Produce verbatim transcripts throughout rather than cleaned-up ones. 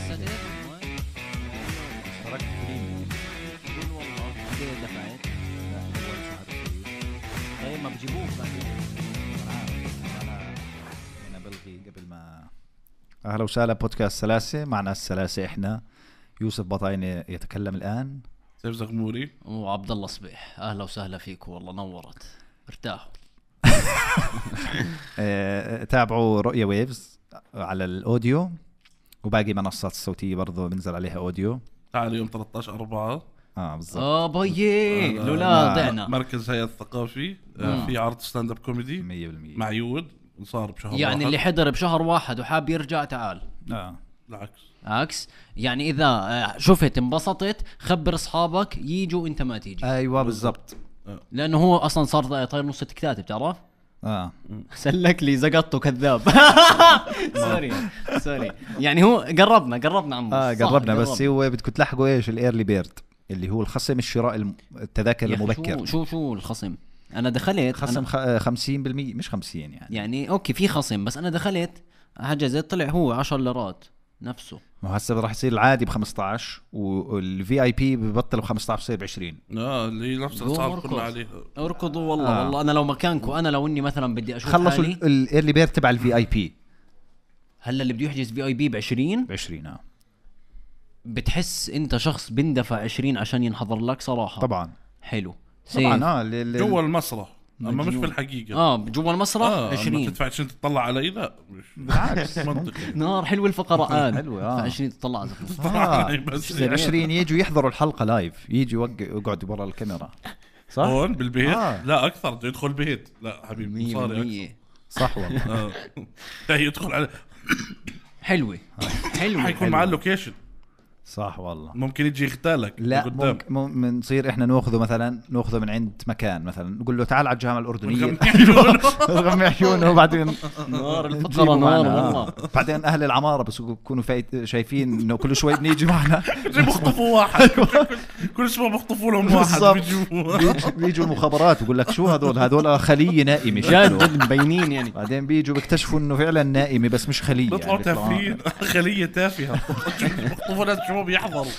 اشتركت بريميوم قول والله كده دفعت لا أول شهر فري. طيب ما بجيبوك بعدين أنا أنا بلغي قبل ما. أهلا وسهلا بودكاست سلاسة. معنا السلاسة إحنا يوسف بطاينة يتكلم الآن، سيف زغموري وعبد الله صبيح. أهلا وسهلا فيكم والله نورت ارتاحوا. تابعوا رؤية ويفز على الأوديو وباقي منصات الصوتية برضو بنزل عليها أوديو. تعال يوم ثلاثة عشر أربعة اه بالضبط. اه بيي لولا ضعنا مركز هيئة الثقافي آه في عرض ستاند اب كوميدي مية بالمية مع يود صار بشهر يعني واحد. اللي حضر بشهر واحد وحاب يرجع تعال. اه العكس عكس يعني إذا شفت انبسطت خبر أصحابك ييجوا أنت ما تيجي. ايوه بالضبط. لأنه هو أصلا صار طاير نص التكتات بتعرف. اه سلك لي زقطته كذاب. سوري سوري يعني هو قربنا قربنا عمو. اه قربنا بس هو بدكم تلحقوا ايش الايرلي بيرد اللي هو الخصم الشراء التذاكر المبكر. شو شو شو الخصم؟ انا دخلت خصم أنا خمسين بالمية مش خمسين يعني يعني اوكي في خصم بس انا دخلت حجزت طلع هو عشر ليرات نفسه. ما هسه راح يصير العادي ب خمسطعش والفي اي بي ببطل ب خمسطعش بصير ب عشرين. اه اللي نفس الاسعار كلها عليها. اركضوا والله آه. والله انا لو مكانكم انا لو اني مثلا بدي اشوف خلصوا حالي الايرلي بيرد تبع الفي اي بي. هلا اللي بده يحجز في اي بي ب عشرين ب عشرين. اه بتحس انت شخص بندفع عشرين عشان ينحضر لك صراحه. طبعا حلو طبعا. اه ل... جوا المسرح اما مش في الحقيقه. اه جوا المسرح آه عشرين تدفع عشان تطلع علي لا مش بالعكس منطقي. نار حلو الفقرات حلوة اه عشرين تطلع آه. بس عشرين يجوا يحضروا الحلقة لايف يجوا يقعدوا برا الكاميرا صح؟ هون بالبيت آه. لا اكثر يدخل البيت لا حبيبي مصاري صح والله. اه لا يدخل على حلوة حلوة حيكون معاه اللوكيشن صح والله. ممكن يجي يغتالك لا قدام ممكن نصير احنا ناخذه مثلا ناخذه من عند مكان مثلا نقول له تعال على الجامعة الأردنية رغم عيونه وبعدين نار الفقرة نار والله. بعدين أهل العمارة بس يكونوا شايفين إنه كل شوي بنيجي معنا بيخطفوا واحد كل شوي بيخطفوا لهم واحد بيجوا بيجوا المخابرات ويقول لك شو هذول هذول خلية نائمة جد مبينين يعني. بعدين بيجوا بيكتشفوا إنه فعلا نائمة بس مش خلية. بيطلعوا تافهين خلية تافهة بيخطفوا ناس شو بيحضروا.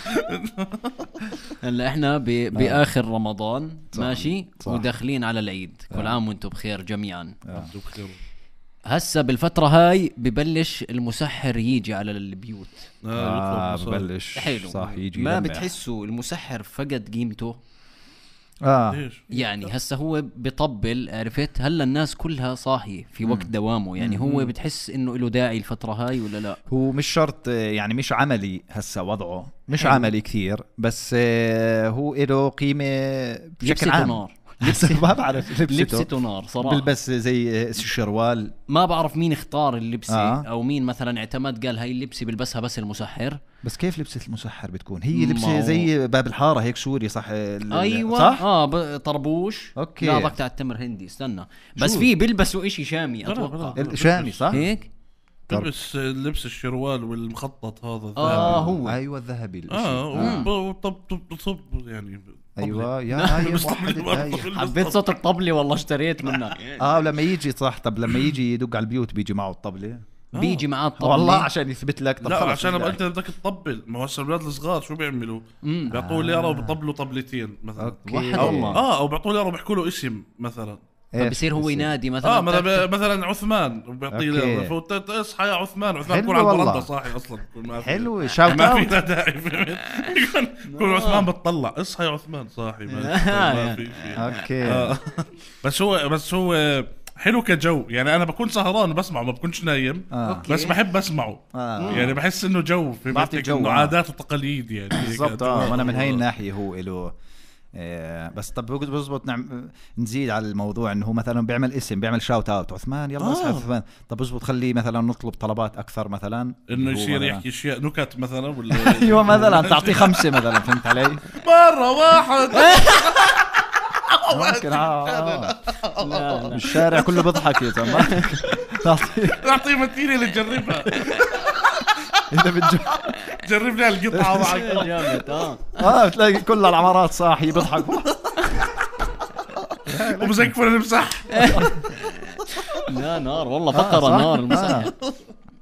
هلا احنا باخر رمضان صح. ماشي صح. وداخلين على العيد. كل عام وانتم بخير جميعا. آه. هسا بالفترة هاي ببلش المسحر يجي على البيوت. آه ببلش حلو صح يجي ما يلمع. بتحسوا المسحر فقد قيمته؟ آه يعني هسا هو بيطبل عرفت هلا الناس كلها صاحية في وقت مم. دوامه يعني مم. هو بتحس انه له داعي الفترة هاي ولا لا؟ هو مش شرط يعني مش عملي هسا وضعه مش حلو. عملي كثير بس هو له قيمة بشكل عام. نار لبسته ما بعرف لبسته, لبسته نار صراحة. بلبس زي الشروال ما بعرف مين اختار اللبسة آه. او مين مثلا اعتمد قال هاي اللبسة بلبسها بس المسحر. بس كيف لبسة المسحر بتكون هي لبسة زي باب الحارة هيك سوري صح؟ ايوه صح؟ اه طربوش. اوكي لا ضقت على التمر هندي استنى بس في بيلبسوا اشي شامي اتوقع شامي صح هيك لبس لبس الشروال والمخطط هذا الذهبي. اه هو ايوه الذهبي اه وطب طب طب يعني ايوه يا هاي موحد. حبيت صوت الطبلة والله اشتريت منها. اه لما يجي صح. طب لما يجي يدق على البيوت بيجي معه الطبلة بيجي معاه الطبلة والله عشان يثبت لك. لا عشان ابقى انت بدك تطبل. ما هو الشباب الصغار شو بيعملوا بيعطوه ليره وبيطبلوا طبلتين مثلا واحد أو والله اه او بيعطوه ليره وبيحكوا له اسم مثلا فبصير هو ينادي مثلا اه مثلا مثلا عثمان وبيعطيه ليره فوت اصحى يا عثمان. عثمان يكون على البرندة صاحي اصلا حلو شاوت ما في داعي يكون عثمان بتطلع اصحى يا عثمان صاحي ما في اوكي. بس هو بس هو حلو كجو يعني. انا بكون سهران وبسمعه ما بكونش نايم آه. بس بحب اسمعه آه. يعني بحس انه جو في بيتك انه عادات وتقاليد يعني بالضبط. اه وانا من هاي الناحيه هو له آه بس طب بزبط نعم نزيد على الموضوع انه هو مثلا بيعمل اسم بيعمل شاوت اوت عثمان يلا اصحى آه. عثمان. طب بزبط خليه مثلا نطلب طلبات اكثر مثلا انه يصير يحكي اشياء نكت مثلا ولا ايوه مثلا تعطيه خمسه مثلا فهمت علي مره واحد ممكن اه الشارع كله بيضحك يا زلمه. تعطيه متينه اللي تجربها اذا بتجرب جرب لي القطعه معك جامد. اه اه بتلاقي كل العمارات صاحي بيضحكوا ومزكفر المسح. لا نار والله فقره نار المسح.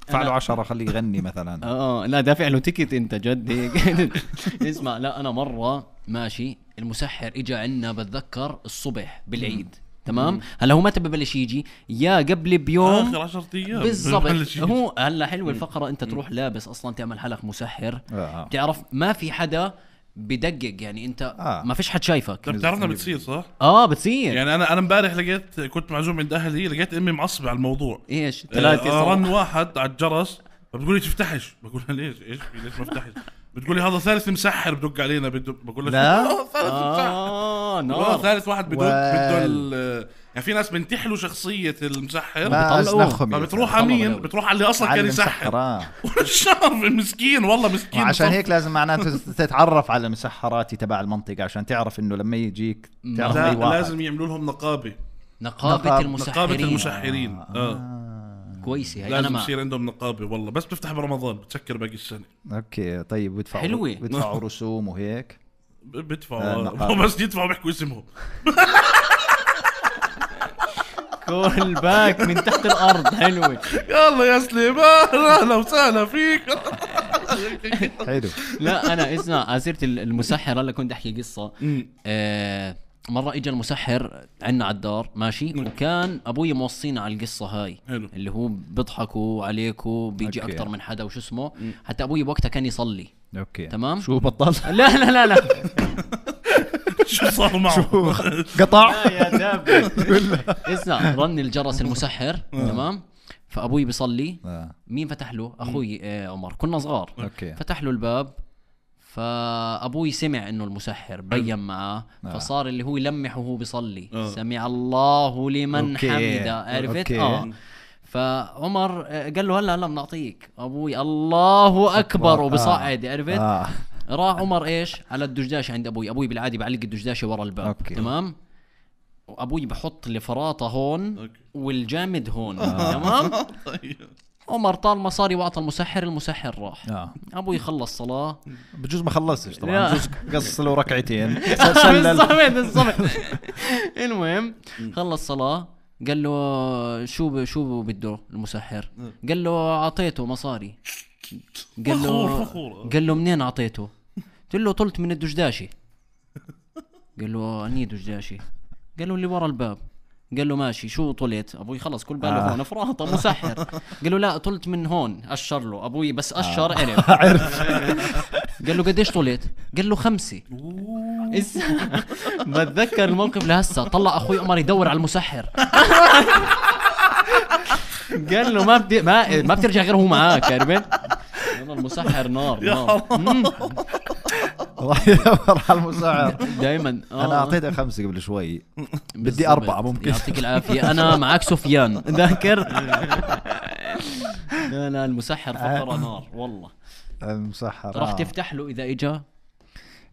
ادفع له عشرة خليه يغني مثلا. اه لا دافع له تيكت انت جد هيك. اسمع لا انا مره ماشي المسحر اجى عنا بتذكر الصبح بالعيد تمام. هلا هو متى ببلش يجي يا قبل بيوم اخر عشرة ايام بالضبط. هو هلا حلو الفقره انت تروح لابس اصلا تعمل حلق مسحر آه. بتعرف ما في حدا بدقق يعني انت آه. ما فيش حد شايفك. بتعرفنا بتصير صح؟ اه بتصير يعني انا انا امبارح لقيت كنت معزوم عند اهلي لقيت امي معصبه على الموضوع. ايش ثلاثه آه رن واحد على الجرس بتقول لي تفتحش بقول لها ليش ايش ليش ما افتحش بتقول لي هذا ثالث مسحر بدق علينا بده بقول لها لا ثالث مسحر اه اه ثالث واحد بدق بده يعني في ناس بنتحلوا شخصيه المسحر فبتروح على مين بتروح على اللي اصلا كان يسحر والشهر مسكين والله مسكين. عشان هيك لازم معناته تتعرف على المسحرات تبع المنطقه عشان تعرف انه لما يجيك تعرف لا لازم يعملوا لهم نقابه نقابه المسحرين نقابه المسحرين اه, آه. كويسه هي. لازم انا يصير عندهم نقابه والله بس بتفتح برمضان بتسكر باقي السنه. اوكي طيب بيدفعوا حلوة. بيدفعوا رسوم وهيك بيدفعوا آه بس يدفعوا بيحكوا اسمهم كل باك من تحت الارض. حلوه يلا يا سليمان اهلا وسهلا فيك. حلو. لا انا اسمع اسيره المسحر هلا كنت احكي قصه. آه مرة اجى المسحر عنا على الدار ماشي وكان ابوي موصينا على القصة هاي حلو. اللي هو بيضحكوا عليكوا بيجي أوكي. اكتر من حدا وش اسمه حتى ابوي بوقتها كان يصلي. اوكي تمام. شو بطل؟ لا لا لا لا شو صار معه قطع يا دابة. اسمع رن الجرس المسحر تمام فابوي بيصلي مين فتح له اخوي آه عمر كنا صغار اوكي فتح له الباب فابوي سمع انه المسحر بين معاه فصار اللي هو يلمح وهو بيصلي أوه. سمع الله لمن أوكي. حمده عرفت أوكي. اه فعمر قال له هلا هلا بنعطيك ابوي الله اكبر وبصعد عرفت آه. راح عمر ايش على الدجداشه عند ابوي ابوي بالعادي بعلق الدجداشه ورا الباب أوكي. تمام وابوي بحط الفراطه هون أوكي. والجامد هون تمام. عمر طال مصاري واعطى المسحر المسحر راح آه. ابوي خلص صلاه بجوز ما خلصتش طبعا لا. بجوز قص له ركعتين بالضبط بالضبط. المهم خلص صلاه قال له شو شو بده المسحر قال له اعطيته مصاري قال له قال له منين اعطيته قلت له طلت من الدجداشي قال له اني دجداشي قال له اللي ورا الباب قال له ماشي شو طلت ابوي خلص كل باله آه. هون فراطه مسحر قال له لا طلت من هون اشر له ابوي بس اشر آه. عرف عرف قال له قديش طلت قال له خمسة. إس... بتذكر الموقف لهسه طلع اخوي عمر يدور على المسحر قال له ما بدي ما ما بترجع غير هو معاك عرفت والله المسحر نار نار راح يدور على المسحر دائما آه. انا اعطيته خمسة قبل شوي بدي أربعة ممكن يعطيك العافية انا معك سفيان ذاكر. لا لا المسحر فقرة نار والله المسحر راح آه. تفتح له اذا اجا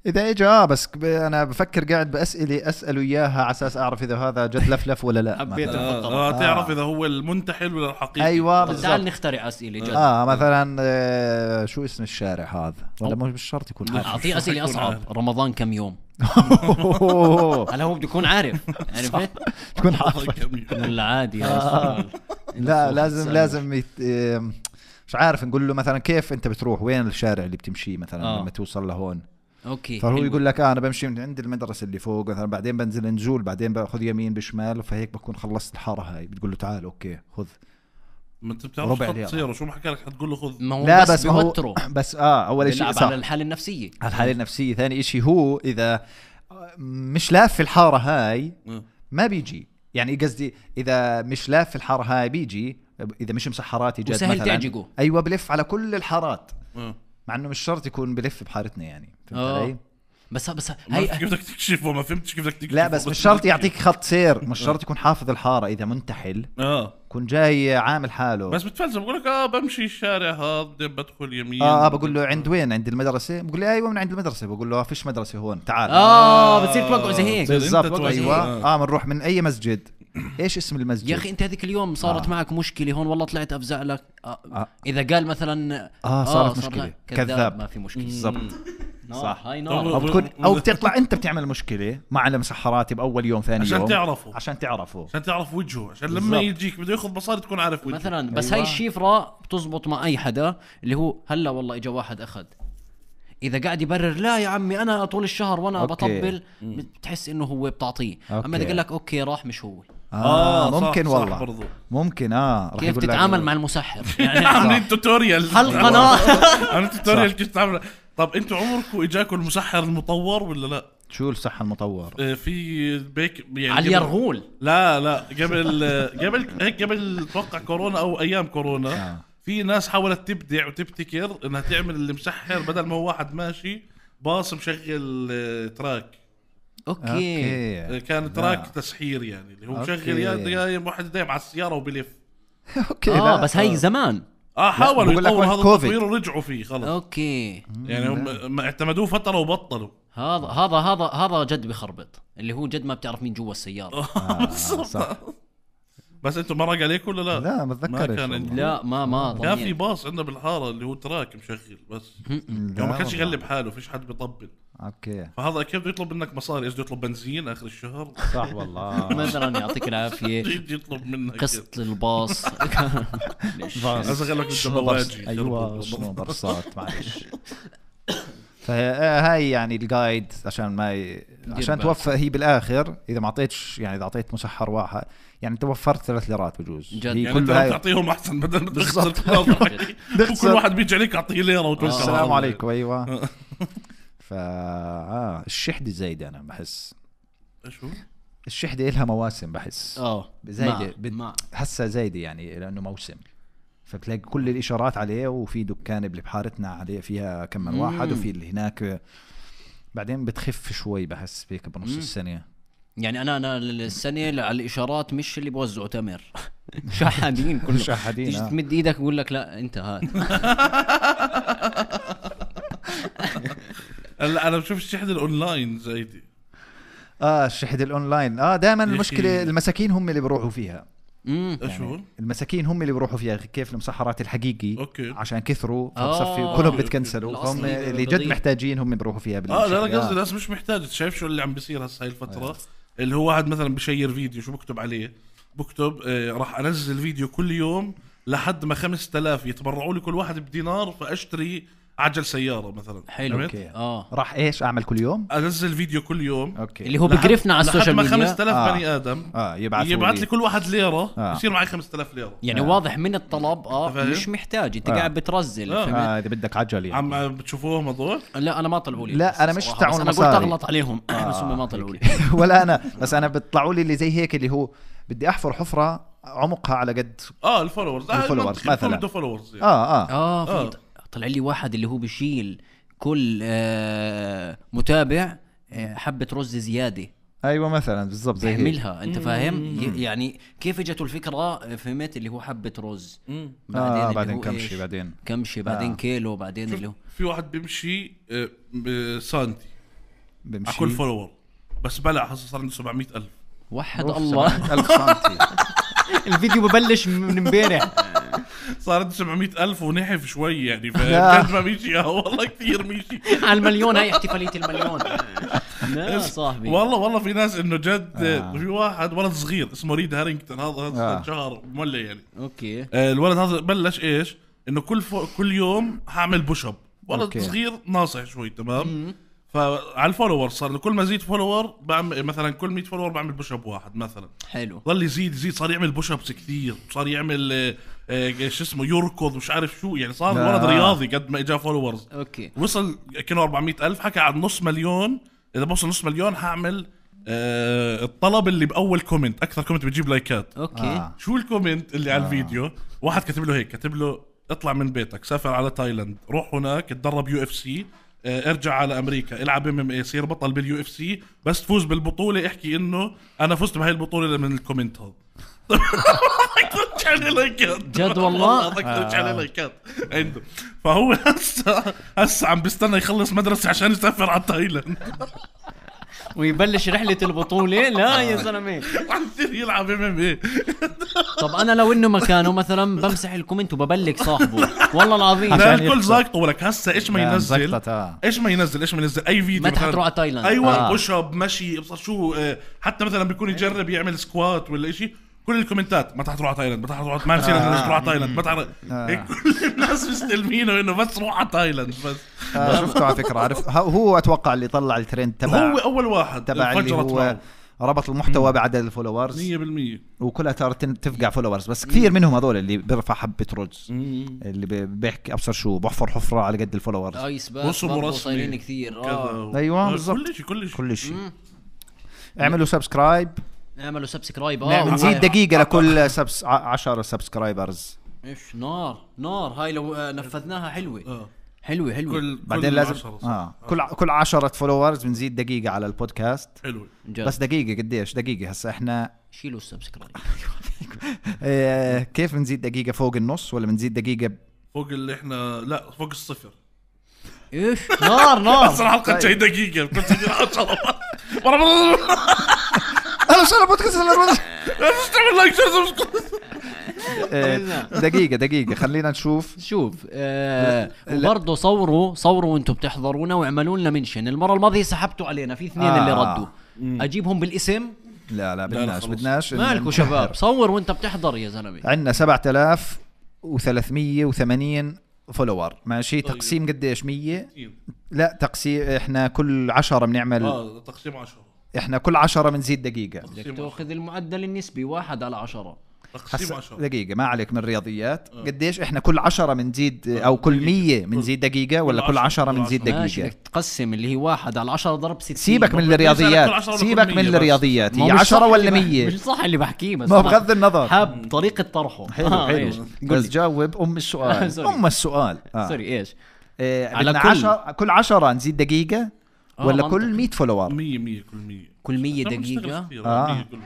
اذا اجى اه بس انا بفكر قاعد باسئله اساله اياها على اساس اعرف اذا هذا جد لفلف ولا لا. حبيت آه. آه. تعرف اذا هو المنتحل ولا الحقيقي. ايوه بالضبط. تعال نخترع اسئله جد. اه مثلا آه شو اسم الشارع هذا ولا مش بالشرط يكون عارف. اعطيه اسئله اصعب. رمضان كم يوم هلا هو بده يكون عارف عرفت تكون عارف ولا عادي. لا لازم لازم يت... مش عارف نقول له مثلا كيف انت بتروح وين الشارع اللي بتمشيه مثلا آه. لما توصل لهون اوكي فهو يقول لك آه انا بمشي من عند المدرسه اللي فوق مثلا بعدين بنزل نزول بعدين باخذ يمين بشمال فهيك بكون خلصت الحاره هاي بتقول له تعال اوكي خذ ما انت بتعرف شو تصير وشو ما حكى لك حتقول له خذ. لا بس, بس بيوتره بس اه اول شيء على الحاله النفسيه على الحاله النفسيه ثاني شيء هو اذا مش لاف في الحاره هاي ما بيجي يعني قصدي اذا مش لاف في الحاره هاي بيجي اذا مش مسحراتي جد مثلا تعجقه. ايوه بلف على كل الحارات أه. مع انه مش شرط يكون بلف بحارتنا يعني فهمت علي بس بس هي كيف بدك تكشفه ما فهمتش كيف بدك تكشفه. لا بس مش شرط يعطيك خط سير مش شرط يكون حافظ الحاره اذا منتحل اه كون جاي عامل حاله بس بتفلسف بقول لك اه بمشي الشارع هذا بدخل يمين اه, آه بقول له عند وين عند المدرسه بقول لي ايوه من عند المدرسه بقول له فيش مدرسه هون تعال اه بتصير توقعوا زي هيك بالضبط ايوه اه بنروح من اي مسجد ايش اسم المسجد يا اخي انت هذيك اليوم صارت آه. معك مشكله هون والله طلعت افزع لك آه. آه. اذا قال مثلا اه صارت آه مشكله كذاب, كذاب ما في مشكله بالضبط صح هاي نار. أو, بتكون أو بتطلع أنت بتعمل مشكلة مع المسحرات بأول يوم ثاني عشان يوم تعرفوا عشان تعرفوا عشان تعرف وجهه عشان لما يجيك بده ياخذ مصاري تكون عارف وجهه مثلا. بس أيوة. هاي الشفرة بتزبط مع أي حدا اللي هو هلا والله إجا واحد أخذ، إذا قاعد يبرر لا يا عمي أنا طول الشهر وأنا أوكي. بطبل بتحس إنه هو بتعطيه. أما إذا قال لك أوكي راح مش هو. آه, آه ممكن صح والله صح ممكن اه رح كيف تتعامل مع المسحر يعني عاملين توتوريال حلقة نار. عاملين توتوريال كيف تتعامل. طب انتوا عمركم اجاكم المسحر المطور ولا لا؟ شو الصحة المطور؟ آه في بيك يعني على اليرغول. لا لا قبل قبل هيك قبل توقع كورونا او ايام كورونا آه. في ناس حاولت تبدع وتبتكر انها تعمل اللي مسحر بدل ما هو واحد ماشي باص مشغل آه، تراك. اوكي, أوكي. كان تراك تسحير يعني اللي هو مشغل يا واحد دايم على السياره وبلف. اوكي اه لا. بس هي زمان اه حاولوا بقول لك يطوروا وقت هذا كوفيد. التطوير ورجعوا فيه خلص. اوكي يعني هم ما اعتمدوه فتره وبطلوا. هذا هذا هذا هذا جد بخربط اللي هو جد ما بتعرف مين جوا السياره. آه صح. بس انتم مرق عليك ولا لا؟ لا ما ما بتذكرش كان والله. لا ما ما كان في باص عندنا بالحاره اللي هو تراك مشغل بس لا يعني ما كانش والله. يغلب حاله فيش حد بيطبل. اوكي فهذا كيف بده يطلب منك مصاري؟ ايش بده يطلب بنزين اخر الشهر؟ صح والله. مثلا يعطيك العافيه يجي يطلب منك قسط الباص. اشغل لك بالدباباجي. ايوه شنو برصات معلش. فهاي يعني الجايد عشان ما ي... عشان توفى هي بالاخر اذا ما اعطيتش يعني اذا اعطيت مسحر واحد يعني توفرت ثلاث ليرات بجوز. جد. يعني كل انت هاي... تعطيهم احسن بدل ما تخسر كل واحد بيجي عليك اعطيه ليره وتوكل. السلام عليكم. ايوه فا آه الشحدة زايدة انا بحس. شو الشحدة لها مواسم بحس اه زايدة بد... هسه زايدة يعني لانه موسم فبتلاقي كل الاشارات عليه وفي دكان اللي بحارتنا عليه فيها كم من واحد وفي اللي هناك بعدين بتخف شوي بحس بيك بنص مم. السنة. يعني انا انا السنة على الاشارات مش اللي بوزعوا تمر شحادين كله شحادين. تيجي تمد ايدك ويقول لك لا انت هات. لا انا بشوف الشحن الاونلاين زايدة. اه الشحن الاونلاين اه دائما المشكلة المساكين هم اللي بيروحوا فيها. امم يعني المساكين هم اللي بيروحوا فيها كيف المسحرات الحقيقي أوكي. عشان كثروا آه. فبصفي كلهم بتكنسلوا فهم اللي جد محتاجين هم بيروحوا فيها اه لا لا قصدي الناس مش محتاجة. شايف شو اللي عم بيصير هسه هاي الفترة آه. اللي هو واحد مثلا بشير فيديو شو بكتب عليه بكتب آه راح انزل فيديو كل يوم لحد ما خمسة آلاف يتبرعوا لي كل واحد بدينار فاشتري عجل سيارة مثلا. حلو اوكي اه راح ايش اعمل كل يوم انزل فيديو كل يوم اوكي اللي هو بقرفنا على السوشيال ميديا لحد ما خمسة آلاف آه. بني ادم اه يبعث يبعث لي كل واحد ليرة آه. يصير معي خمسة آلاف ليرة. يعني آه. واضح من الطلب اه فاهم؟ مش محتاج انت آه. قاعد بترزل آه. اه اذا بدك عجل يعني. عم بتشوفوهم هذول؟ لا انا ما طلعوا لي لا انا مش تاعون انا قلت مصاري اغلط عليهم آه. بس هم ما طلعوا لي. ولا انا بس انا بيطلعوا لي اللي زي هيك اللي هو بدي احفر حفرة عمقها على قد اه الفولورز آه الفولورز مثلا بده فولورز يعني. اه اه اه, آه. في طلع لي واحد اللي هو بيشيل كل آه متابع آه حبة رز زيادة ايوه مثلا بالضبط زي هيك بيعملها انت فاهم ي- يعني كيف اجته الفكرة فهمت اللي هو حبة رز مم. بعدين اللي آه بعدين هو كمشي إيش؟ بعدين كمشي بعدين آه. كيلو بعدين اللي هو في واحد بيمشي آه، بسانتي بمشي على كل فولور بس بلع حصل صار عنده سبعمية ألف. وحد أوف، الله سبعمية ألف سنتي. الفيديو ببلش من امبارح صار عنده سبعمية ألف ونحف شوي يعني لا. فكاد ما مشي والله كثير مشي. على المليون. هاي احتفالية المليون. لا صاحبي والله والله في ناس انه جد آه. في واحد ولد صغير اسمه ريد هارينغتون هذا هذا آه. شهر مولع يعني. اوكي آه، الولد هذا بلش ايش انه كل فو... كل يوم هعمل بوش اب. ولد أوكي. صغير ناصح شوي تمام. فعلى الفولور صار له كل ما زيد فولور بعمل مثلا كل مية فولور بعمل بوش اب واحد مثلا. حلو ظل يزيد يزيد صار يعمل بوش ابس كثير صار يعمل آه، آه، شو اسمه يركض مش عارف شو يعني صار آه. ولد رياضي قد ما اجى فولورز. اوكي وصل كانوا أربعمية ألف حكى عن نص مليون. اذا بوصل نص مليون هعمل آه الطلب اللي باول كومنت اكثر كومنت بتجيب لايكات. اوكي آه. شو الكومنت اللي آه. على الفيديو؟ واحد كاتب له هيك كاتب له اطلع من بيتك سافر على تايلاند روح هناك اتدرب يو اف سي اه ارجع على امريكا العب ام ام اي صير بطل باليو اف سي بس تفوز بالبطوله احكي انه انا فزت بهاي البطوله من الكومنت هذا. اكثر عليه لايكات جد والله اكثر عليه لايكات عنده. فهو هسه هسه عم بيستنى يخلص مدرسه عشان يسافر على تايلاند. ويبلش رحلة البطولة. لا يا زلمة عم يصير يلعب ام ام اي. طب انا لو انه مكانه مثلا بمسح الكومنت وببلك صاحبه والله العظيم. لا عشان الكل يخسر. زاقطه ولك هسه ايش ما لا، ينزل مزقطة، آه. ايش ما ينزل ايش ما ينزل اي فيديو متى مثلاً- حتروح على تايلاند؟ ايوه آه. بوش اب مشي ابصر شو آه، حتى مثلا بيكون يجرب يعمل سكوات ولا شيء، كل الكومنتات متى حتروح على تايلاند متى حتروح ما نسينا آه. تروح على تايلاند متى حر- آه. هيك كل الناس مستلمينه انه بس روح على تايلاند بس. آه، شفته على فكره. عارف ه- هو اتوقع اللي طلع الترند تبع هو اول واحد تبع اللي انفجرت هو معه ربط المحتوى بعدد الفولورز، مية بالمية. وكلها ترى تن- تفقع فولورز. بس كثير منهم هذول اللي بيرفع حبه رز، اللي بي- بيحكي ابصر شو بحفر حفره على قد الفولورز. ايس باس وصل برضه رسمي. صايرين كثير. اه كذا أيوة، آه، بالضبط. كل شيء كل شيء كل شيء. مم. اعملوا سبسكرايب، اعملوا سبسكرايب. اه نعم، نزيد وهاي- دقيقه لكل سبس عشرة سبسكرايبرز. ايش نار نار هاي لو آه، نفذناها حلوه آه. حلوه حلوه. كل بعدين كل لازم عشرة صح. اه كل كل عشرة فولورز بنزيد دقيقه على البودكاست. حلو. جد. بس دقيقه قديش؟ دقيقه هسه احنا شيلوا السبسكرايب. آه كيف بنزيد دقيقه؟ فوق النص ولا بنزيد دقيقه؟ فوق اللي احنا لا فوق الصفر. ايش نار نار. بس الحلقه طيب. جاي دقيقه كنت تدير عشرة. انا شو البودكاست مش تعمل لايك شير سبسكرايب. آه، دقيقه دقيقه خلينا نشوف. شوف آه وبرضه صوروا صوروا وانتم بتحضرونا واعملوا لنا منشن. المره الماضيه سحبتوا علينا في اثنين آه. اللي ردوا. اجيبهم بالاسم. لا لا بدناش خلص. بدناش مالكوا شباب؟ صور وانت بتحضر يا زلمه. عندنا سبعة آلاف وثلاثمية وثمانين فولور ماشي. طيب. تقسيم قديش؟ مية. لا تقسيم احنا كل عشرة بنعمل اه تقسيم عشرة. احنا كل عشرة بنزيد دقيقة. بدك تاخذ المعدل النسبي واحد على عشرة. تقسيم هسا عشرة. دقيقة ما عليك من الرياضيات. قديش احنا كل عشرة بنزيد او كل مية بنزيد دقيقة ولا كل كل عشرة، عشرة كل بنزيد عشرة. ماشي دقيقة؟ بدك تقسم اللي هي واحد على عشرة ضرب ستين. سيبك من بدي أسألك كل الرياضيات، عشرة ولا سيبك كل من مية بس؟ الرياضيات. ما هي هو مش عشرة صح ولا اللي بح- مية؟ مش صح اللي بحكيه بس ما هو أنا بغض النظر. حاب طريقة طرحه. حلو آه، حلو إيش؟ قل بس لي. جاوب ام السؤال. سوري. ام السؤال آه. سوري ايش؟ إيه على بدنا كل. عشرة كل عشرة نزيد دقيقة آه، ولا منطقي. كل مية فولور؟ مية مية كل مية. كل مية لا، مش دقيقة. كثير، آه. مية كل-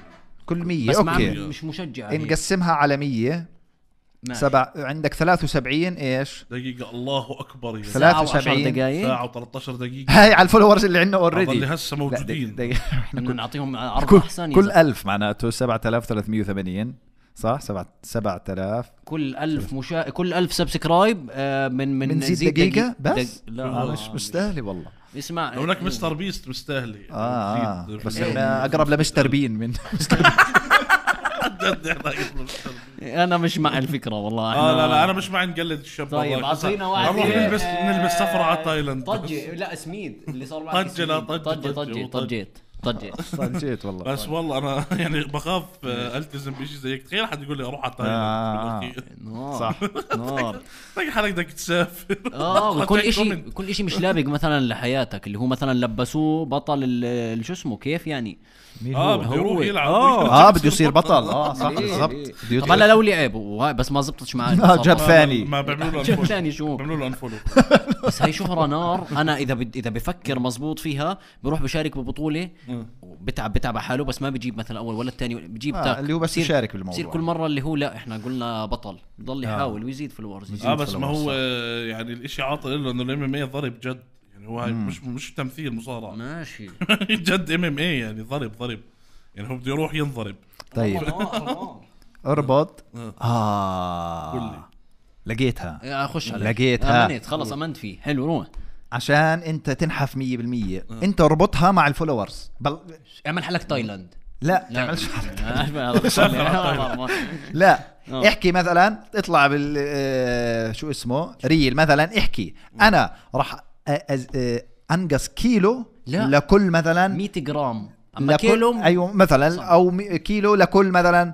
كل مية بس ما اوكي. عم- مش مشجع عليه. نقسمها على مية. ماشي. سبع عندك ثلاثة وسبعين ايش؟ دقيقة الله أكبر يا ثلاث ساعة وعشر وسبعين. دقايق. ساعة و13 دقيقة. هاي على الفولورز اللي عندنا هذا اللي اوريدي. هسه موجودين. بدنا نعطيهم عرض كل احسن. كل كل ألف معناته سبعة آلاف وثلاثمية وثمانين صح؟ سبعة سبعة آلاف كل ألف مشا... كل ألف سبسكرايب آه من من بنزيد نزيد دقيقة دقيق- بس؟ دق... لا آه مش مستاهلة والله. اسمع لو هناك مستر بيست مستاهلة. اه, آه. جديد. بس جد احنا اقرب لمستر بين من إحنا قبل مستر بيست. انا مش مع الفكرة والله. اه لا لا إحنا- انا مش مع نقلد الشاب. طيب والله. اعطينا واحد. نروح إيه، نلبس آه، نلبس سفرة على تايلاند. طجة لا سميد اللي صار معك. طجة، لا، سميد. طجة، طجة طجة طجة. طجيت طجيت. صنجيت والله. بس والله انا يعني بخاف آه، التزم بشيء زي هيك. تخيل حد يقول لي اروح على آه. تايلاند. نار صح. نار. تلاقي حالك بدك تسافر. اه وكل حتى اشي كومنت. كل اشي مش لابق مثلا لحياتك اللي هو مثلا لبسوه بطل ال- ال- شو اسمه كيف يعني. مين اه هو؟ بده يروح هو. يلعب. اه بده يصير بطل. اه صح إيه، بالضبط. إيه. بده طب هلا لو لعب وهاي بس ما زبطتش معي. آه، جاب بصراحة. ثاني. ما بيعملوا له جاب انفولو. ثاني شو. بيعملوا له انفولو. بس هي شهرة نار. انا اذا بد... اذا بفكر مزبوط فيها بروح بشارك ببطولة بتعب بتعب على حاله بس ما بيجيب مثلا اول ولا الثاني بيجيب آه تاك. اللي هو بس بصير- يشارك بصير بالموضوع. كل مرة اللي هو لا احنا قلنا بطل ضل آه. يحاول ويزيد فلورز يزيد اه بس ما followers. هو آه، يعني الاشي عاطل له انه الام ام اي ضرب جد. يعني هو هاي مش مش تمثيل مصارعة. ماشي. جد ام ام اي يعني ضرب ضرب. يعني هو بده يروح ينضرب. طيب آه. اربط. آه. اه قل لي. لقيتها. يا اخش عليك. لقيتها. امنت خلص امنت فيه. حلو روح عشان انت تنحف مية بالمية انت اربطها مع الفولورز بل... اعمل حلك تايلاند. لا لا تعملش لا لا آه. احكي مثلا اطلع بال آه، شو اسمه ريل مثلا احكي انا راح أ- أز- آه، انقص كيلو لا. لكل مثلا مية جرام اما لكل كيلو ايوه مثلا صح. او مي- كيلو لكل مثلا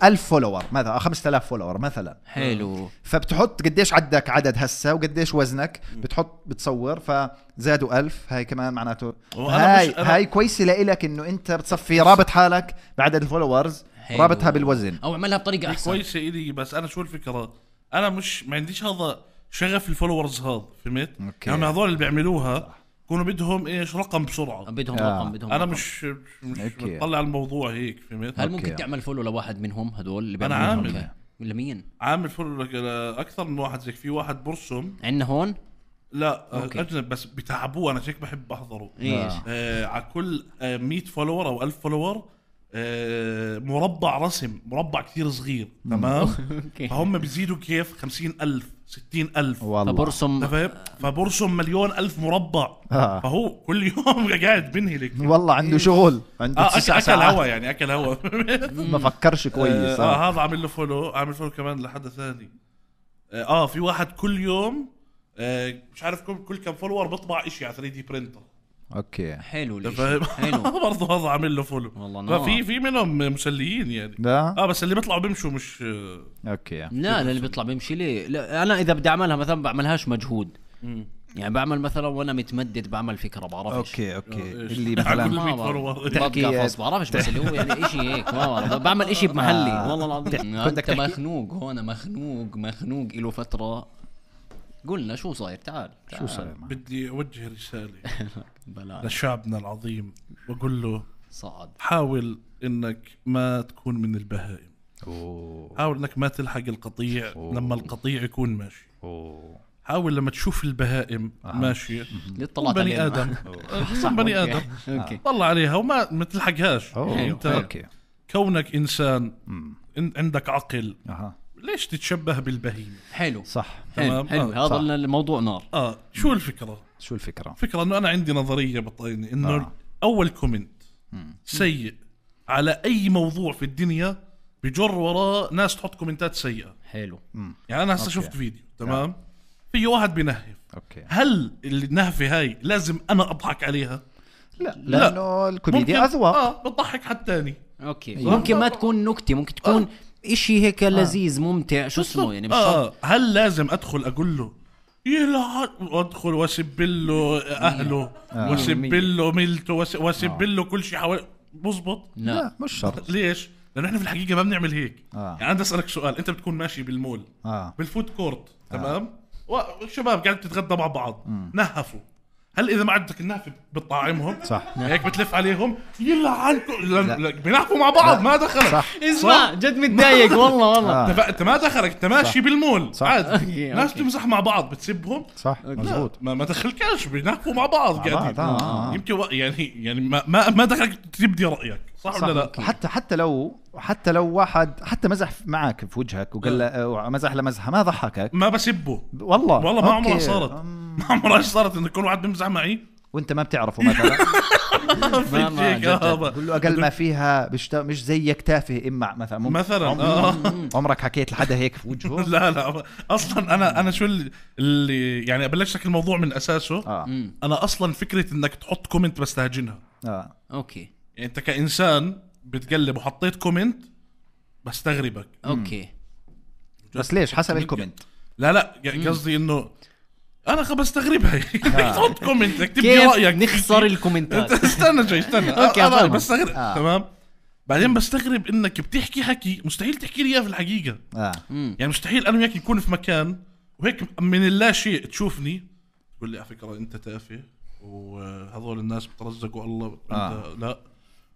ألف فولور مثلا أو خمسة آلاف فولور مثلا. حلو. فبتحط قديش عندك عدد هسه وقديش وزنك بتحط بتصور فزادوا ألف هاي كمان معناته وأنا هاي مش- أنا- هاي كويسه لإلك انه انت بتصفي رابط حالك بعدد الفولورز حلو. رابطها بالوزن. او اعملها بطريقه احسن. كويسة إلي بس أنا شو الفكرة. أنا مش ما عنديش هذا شغف الفولورز هذا فهمت. أوكي. يعني هذول اللي بيعملوها كونوا بدهم إيش رقم بسرعة. بدهم آه. رقم بدهم أنا رقم. مش مش أوكي. بطلع الموضوع هيك فهمت. هل أوكي. ممكن تعمل فولو لواحد منهم هدول اللي أنا بيعملوها؟ عامل. أوكي. لمين عامل فولو لك أكثر من واحد زيك. في واحد برسم عندنا هون لا أوكي. اجنب بس بتعبوه، انا هيك بحب احضره. ايش آه على كل آه مية فولور او ألف فولور آه مربع رسم، مربع كثير صغير تمام. اوكي فهم بيزيدوا كيف خمسين ألف ستين ألف والله فبرسم فاهم؟ فبرسم مليون ألف مربع. آه. فهو كل يوم قاعد بنهلك. والله عنده شغل، عنده آه تسع أكل, أكل ساعات. هوا يعني أكل هوا. ما فكرش كويس. آه, آه. آه هذا عامل له فولو، عامل فولو كمان لحد ثاني. آه, اه في واحد كل يوم آه مش عارف كل, كل كم فولور بيطبع إشي على ثري دي برينتر. اوكي حلو ليش فاهم؟ حلو برضه هذا عامل له فولو. والله نار. ففي في منهم مسليين يعني. لا اه بس اللي بيطلعوا بيمشوا مش آه اوكي. لا لا اللي بيطلع بيمشي ليه. لا انا اذا بدي اعملها مثلا بعملهاش مجهود، يعني بعمل مثلا وانا متمدد بعمل فكره بعرفش. اوكي اوكي آه، إيش؟ اللي على كل مثلا مية ما فولور. تحكي- بقفص بعرفش بس اللي هو يعني اشي هيك ما بعرف. بعمل اشي بمحلي آه. والله العظيم. بدك انت تحكي- مخنوق هون، مخنوق مخنوق له فتره. قلنا شو صاير، تعال, تعال. شو صار؟ بدي أوجه رسالة بلا لشعبنا العظيم وأقول له صعد حاول إنك ما تكون من البهائم. اوه حاول إنك ما تلحق القطيع أوه. لما القطيع يكون ماشي. اوه حاول لما تشوف البهائم أها. ماشية ليه كن طلعت بني علينا؟ آدم صح، كن بني أوكي. آدم اوكي طلع عليها وما ما تلحقهاش. اوه يعني أنت اوكي. كونك إنسان أمم. إن- عندك عقل، اها ليش تتشبه بالبهيمة؟ حلو صح. حلو تمام. حلو آه، هذا صح. الموضوع نار. آه شو الفكرة؟ شو الفكرة؟ فكرة إنه أنا عندي نظرية بطيني إنه آه. أول كومنت سيء على أي موضوع في الدنيا بجر وراه ناس تحط كومنتات سيئة. حلو يعني أنا هسه أوكي. شفت فيديو تمام في واحد بينهف، اوكي. هل النهفة هاي لازم أنا أضحك عليها؟ لا لانه الكوميديا اذواق. آه بتضحك حد تاني. اوكي أيوة. ممكن ما تكون نكته، ممكن تكون اشي هيك لذيذ ممتع شو اسمه يعني مش شرط. آه هل لازم أدخل أقول له يلعن وأدخل وأسب له أهله آه. وأسب له ملته وأس- وأسب له كل شيء حوالي؟ بزبط. لا لا مش شرط. ليش؟ لأنه إحنا في الحقيقة ما بنعمل هيك. آه. يعني أنا بدي أسألك سؤال، أنت بتكون ماشي بالمول اه بالفود كورت تمام والشباب قاعد تتغدى مع بعض نهفوا، هل إذا ما عندك النهف بتطعمهم؟ صح. هيك بتلف عليهم يلعنكم لا بينهفوا مع بعض ما دخلك. صح. اسمع جد متضايق والله والله. آه. انت انت ما دخلك، انت ماشي بالمول صح. عادي أوكي، ناس أوكي. تمزح مع بعض بتسبهم صح لا مزبوط. ما ما دخلكش بينهفوا مع بعض قاعدين بعض، آه، آه. يمكن و- يعني يعني ما ما, ما دخلك تبدي رايك صح, ولا لا؟ حتى حتى لو حتى لو واحد حتى مزح معك في وجهك وقال له مزح لمزحه ما ضحكك ما بسبه والله والله ما عمرها أوكي. صارت أم، ما عمرها صارت انه يكون واحد بيمزح معي وانت ما بتعرفه مثلا في ما- هيك جد- جد. آه، قول له اقل ما فيها بشت... مش زيك تافه امع مثلا ممكن. مثلا عم- آه. عمرك حكيت لحدا هيك في وجهه؟ لا لا اصلا انا انا شو اللي- اللي يعني ابلش لك الموضوع من اساسه. اه مم. انا اصلا فكره انك تحط كومنت بس تهجنها، اه اوكي يعني انت كانسان بتقلب وحطيت كومنت بستغربك. اوكي بس ليش حسب الكومنت. لا لا قصدي انه انا خ بستغربها تحط كومنت اكتب لي كيف رايك نخسر الكومنتات. استنى جاي استنى أوكي، انا أفهمك. بستغرب آه. تمام بعدين بستغرب انك بتحكي حكي مستحيل تحكي لي اياه في الحقيقه. اه مم. يعني مستحيل انا وياك نكون في مكان وهيك من اللا شيء تشوفني تقول لي على فكره انت تافه وهذول الناس بترزقوا الله وانت آه. لا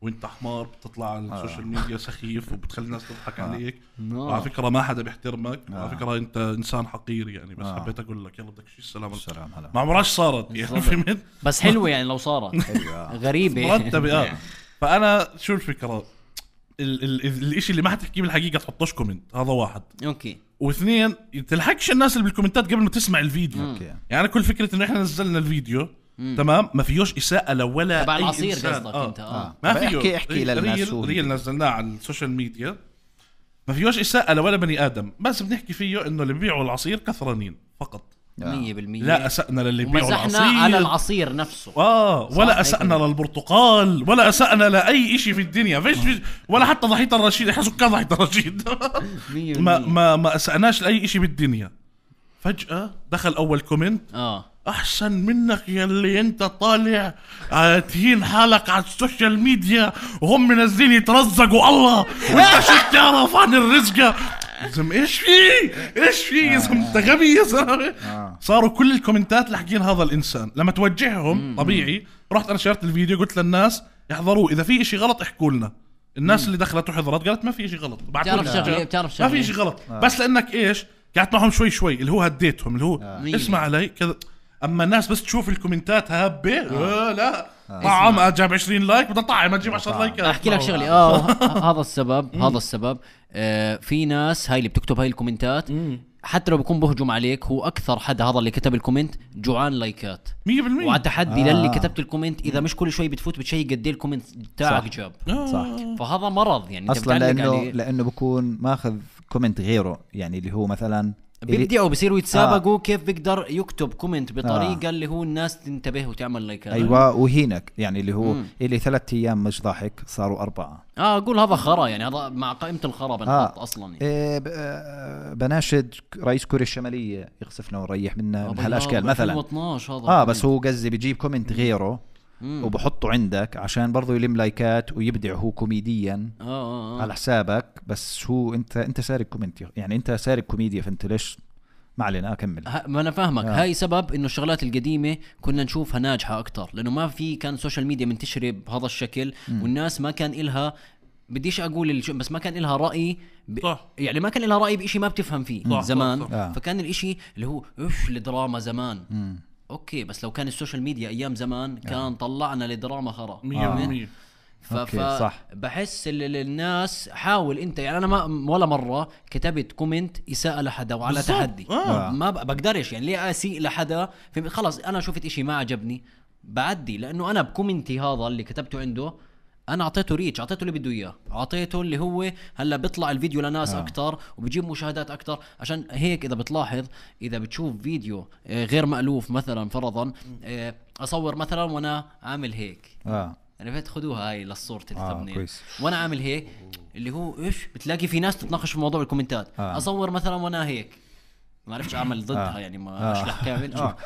وانت حمار بتطلع على السوشيال ميديا سخيف وبتخلي الناس تضحك عليك نار. وعلى فكره ما حدا بيحترمك آه. وعلى فكره انت انسان حقير يعني بس آه. حبيت اقول لك يلا بدك شيء السلام عليكم. السلام هلا ما عمرهاش صارت يعني بالضبط. فهمت بس حلوه يعني لو صارت حلو، آه. غريبه مرتبه اه فانا شو الفكره ال- ال- الاشي اللي ما حتحكيه بالحقيقه تحطوش كومنت هذا واحد اوكي واثنين تلحقش الناس اللي بالكومنتات قبل ما تسمع الفيديو. اوكي يعني أنا كل فكره انه احنا نزلنا الفيديو مم. تمام ما فيهوش اساءه لولا تبع اي العصير إنسان. قصدك آه. انت اه ما طب فيه احكي- احكي للناس شو ريل, هي. ريل نزلناه على السوشيال ميديا ما فيهوش اساءه لولا بني ادم بس بنحكي فيه انه اللي بيبيعوا العصير كثرانين فقط. مية بالمية لا اسأنا للي بيبيعوا ومزحنا العصير على العصير نفسه اه ولا هيك اسأنا ولا؟ للبرتقال ولا اسأنا لاي شيء في الدنيا فيش فيش ولا حتى ضحيه الرشيد احنا سكان ضحيه الرشيد مية ما بالمية. ما ما اسأناش لاي شيء بالدنيا. فجأة دخل اول كومنت اه احسن منك يلي انت طالع آه، تهين حالك على السوشيال ميديا وهم منزلين يترزقوا الله وانت شو بتعرف عن الرزقه زم ايش في ايش في يا زلمه انت غبي يا زلمه. آه. صاروا كل الكومنتات لاحقين هذا الانسان لما توجههم طبيعي رحت انا شيرت الفيديو قلت للناس يحضروه اذا في اشي غلط احكوا لنا. الناس اللي دخلت وحضرت قالت ما في اشي غلط بعتوا بتعرف لنا. شغله بتعرف ما شغله في اشي غلط بس لانك ايش قعدت معهم شوي شوي اللي هو هديتهم اللي هو مية اسمع علي كذا اما الناس بس تشوف الكومنتات هابه آه. آه لا آه. طعم جاب عشرين لايك بدنا طعم تجيب عشرة لايكات. احكي لك شغلي اه هذا السبب هذا السبب آه في ناس هاي اللي بتكتب هاي الكومنتات حتى لو بيكون بهجم عليك هو اكثر حدا هذا اللي كتب الكومنت جوعان لايكات مية بالمية وعلى تحدي آه. للي كتبت الكومنت اذا مش كل شوي بتفوت بتشيك قد ايه الكومنت تاعك جاب صح. فهذا مرض يعني اصلا لانه لانه بكون ماخذ كومنت غيره يعني اللي هو مثلا بيبدعوا بصيروا يتسابقوا آه. كيف بيقدر يكتب كومنت بطريقه آه. اللي هو الناس تنتبه وتعمل لايكات. ايوه وهينك يعني اللي هو مم. اللي ثلاث ايام مش ضاحك صاروا اربعه. اه اقول هذا خرا يعني هذا مع قائمه الخرا بنحط آه. اصلا يعني. إيه بناشد رئيس كوريا الشماليه يغسفنا ونريح منا من هالاشكال مثلا ألفين واثناشر هذا اه بس هو قصدي بيجيب كومنت غيره مم. وبحطه عندك عشان برضو يلم لايكات ويبدع هو كوميديا آه آه آه. على حسابك بس هو انت انت سارق كومنت يعني انت سارق كوميديا فانت ليش ما علينا اكمل. ما انا فاهمك آه. هاي سبب انه الشغلات القديمه كنا نشوفها ناجحه اكتر لانه ما في كان سوشيال ميديا منتشره بهذا الشكل مم. والناس ما كان إلها بديش اقول بس ما كان إلها راي ب... صح. يعني ما كان إلها راي بشيء ما بتفهم فيه صح. زمان صح. صح. فكان الاشي اللي هو ايش الدراما زمان مم. اوكي بس لو كان السوشيال ميديا ايام زمان كان آه. طلعنا لدراما خرا مية بالمية فبحس الناس حاول انت يعني انا ما ولا مره كتبت كومنت اساءه لحدا وعلى بالزبط. تحدي آه. ما بقدرش يعني ليه اسيء لحدا خلص انا شفت اشي ما عجبني بعدي لانه انا بكومنتي هذا اللي كتبته عنده انا اعطيته ريتش اعطيته اللي بده اياه اعطيته اللي هو هلا بيطلع الفيديو لناس آه. اكتر وبيجيب مشاهدات اكتر عشان هيك اذا بتلاحظ اذا بتشوف فيديو غير مألوف مثلا فرضا اصور مثلا وانا عامل هيك اه عرفت خدوها هاي للصورة الثمنين آه وانا عامل هيك اللي هو ايش بتلاقي في ناس تتناقش في موضوع الكومنتات آه. اصور مثلا وانا هيك ما عرفتش اعمل ضدها آه. يعني ما اشرح كامل آه.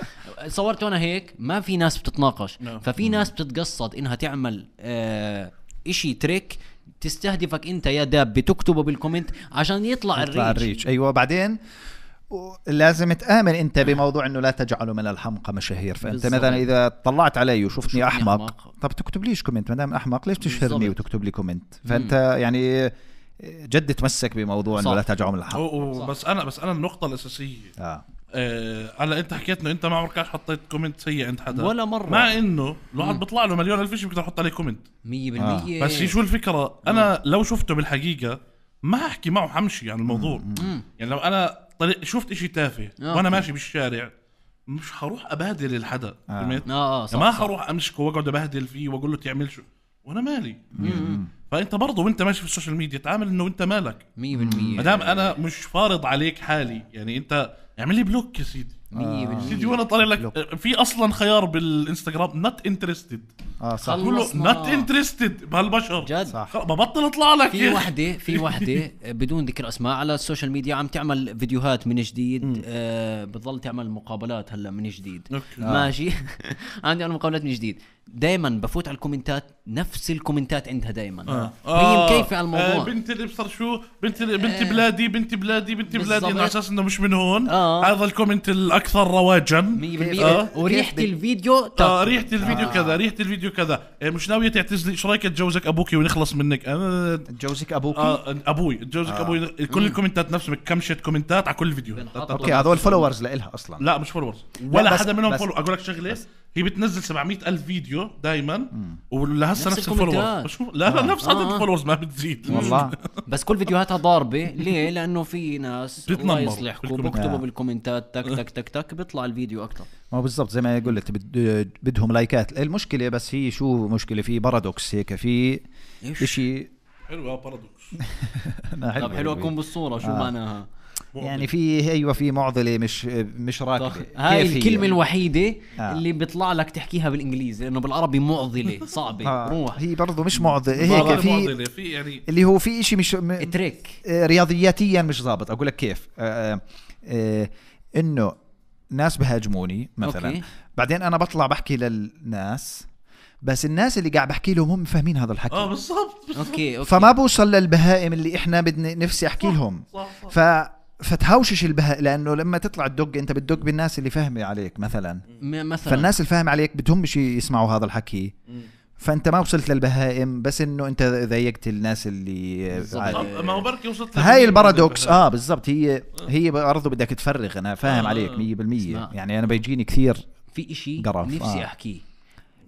صورت وانا هيك ما في ناس بتتناقش no. ففي ناس بتتقصد انها تعمل آه اشي تريك تستهدفك انت يا داب بتكتبه بالكومنت عشان يطلع, يطلع الريتش. الريتش ايوه بعدين لازم تآمن انت بموضوع انه لا تجعلوا من الحمقى مشاهير فانت بالزبط. مثلا اذا طلعت علي وشوفتني احمق, أحمق طب تكتب ليش كومنت ما دام احمق ليش تشهرني وتكتب لي كومنت فانت مم. يعني جد تمسك بموضوع انه لا تجعلوا من الحمقى. بس انا بس انا النقطه الاساسيه اه هلا آه انت حكيت انه انت ما عمرك حطيت كومنت سيء عند حدا ولا مره مع انه الواحد بيطلع له مليون الف شيء بيقدر يحط عليه كومنت مية بالمية آه. بس شو الفكره انا لو شفته بالحقيقه ما احكي معه حمشي عن الموضوع مم. يعني لو انا طريق شفت اشي تافه آه. وانا ماشي بالشارع مش هروح ابهدل الحدا فهمت آه. آه. ما هروح امسكه واقعد ابهدل فيه واقول له تعمل شو وانا مالي مم. فانت برضه وانت ماشي في السوشيال ميديا تعامل انه انت مالك مية بالمية مادام انا مش فارض عليك حالي يعني انت اعمل لي بلوك يا سيدي مية بالمية سيدي وانا طالع لك في اصلا خيار بالانستغرام not interested اه صح كله not interested بهالبشر جد صح ببطل اطلع لك في وحده في وحده بدون ذكر اسماء على السوشيال ميديا عم تعمل فيديوهات من جديد آه بتضل تعمل مقابلات هلا من جديد أوكي. ماشي عندي انا مقابلات من جديد دائما بفوت على الكومنتات نفس الكومنتات عندها دائما آه. هي مكيفه على الموضوع آه بنت اللي بصر شو بنت بنت آه. بلادي بنت بلادي بنت بلادي على اساس انه مش من هون آه. هذا الكومنت الاكثر رواجا مية بالمية آه. وريحه الفيديو آه ريحه الفيديو آه. كذا ريحه الفيديو كذا آه مش ناويه تعتزلي ايش رايك اتجوزك ابوكي ونخلص منك انا اتجوزك ابوكي آه ابوي اتجوزك آه. ابوي كل مم. الكومنتات نفسه كمشت كومنتات على كل فيديو اوكي هذول فولورز لإلها اصلا لا مش فولورز ولا حدا منهم فولو اقول لك شغله هي بتنزل سبعمية ألف فيديو دائما ولهسه نفس, نفس الفولورز لا لا نفس عدد الفولورز ما بتزيد والله بس كل فيديوهاتها ضاربه ليه لانه في ناس الله يصلحكم بكتبوا بالكومنتات تك تك تك تك بيطلع الفيديو اكثر ما بالضبط زي ما قلت بدهم لايكات المشكله بس هي شو مشكله في بارادوكس هيك في شيء حلو بارادوكس طب حلو اكون بالصوره شو معناها يعني في ايوه في معضله مش مش راكبه هاي الكلمه الوحيده آه. اللي بيطلع لك تحكيها بالانجليزي لانه بالعربي معضله صعبه آه. روح هي برضه مش معضله هيك في, في يعني اللي هو في شيء مش م... تريك رياضياتيا مش ضابط اقول لك كيف آه آه انه ناس بهاجموني مثلا أوكي. بعدين انا بطلع بحكي للناس بس الناس اللي قاعد بحكي لهم هم فاهمين هذا الحكي اه بالضبط اوكي اوكي فما بوصل للبهائم اللي احنا بدنا نفسي احكي لهم صح صح. ف فتهوشش البهاء لانه لما تطلع تدق انت بتدق بالناس اللي فاهمه عليك مثلا مثلا فالناس اللي فاهم عليك بدهم شيء يسمعوا هذا الحكي فانت ما وصلت للبهائم بس انه انت ضايقت الناس اللي ما هو بركي وصلت هاي البارادوكس اه بالضبط هي هي برضه بدك تفرغ انا فاهم آه عليك مية بالمية يعني انا بيجيني كثير في اشي قرف. نفسي آه. احكيه.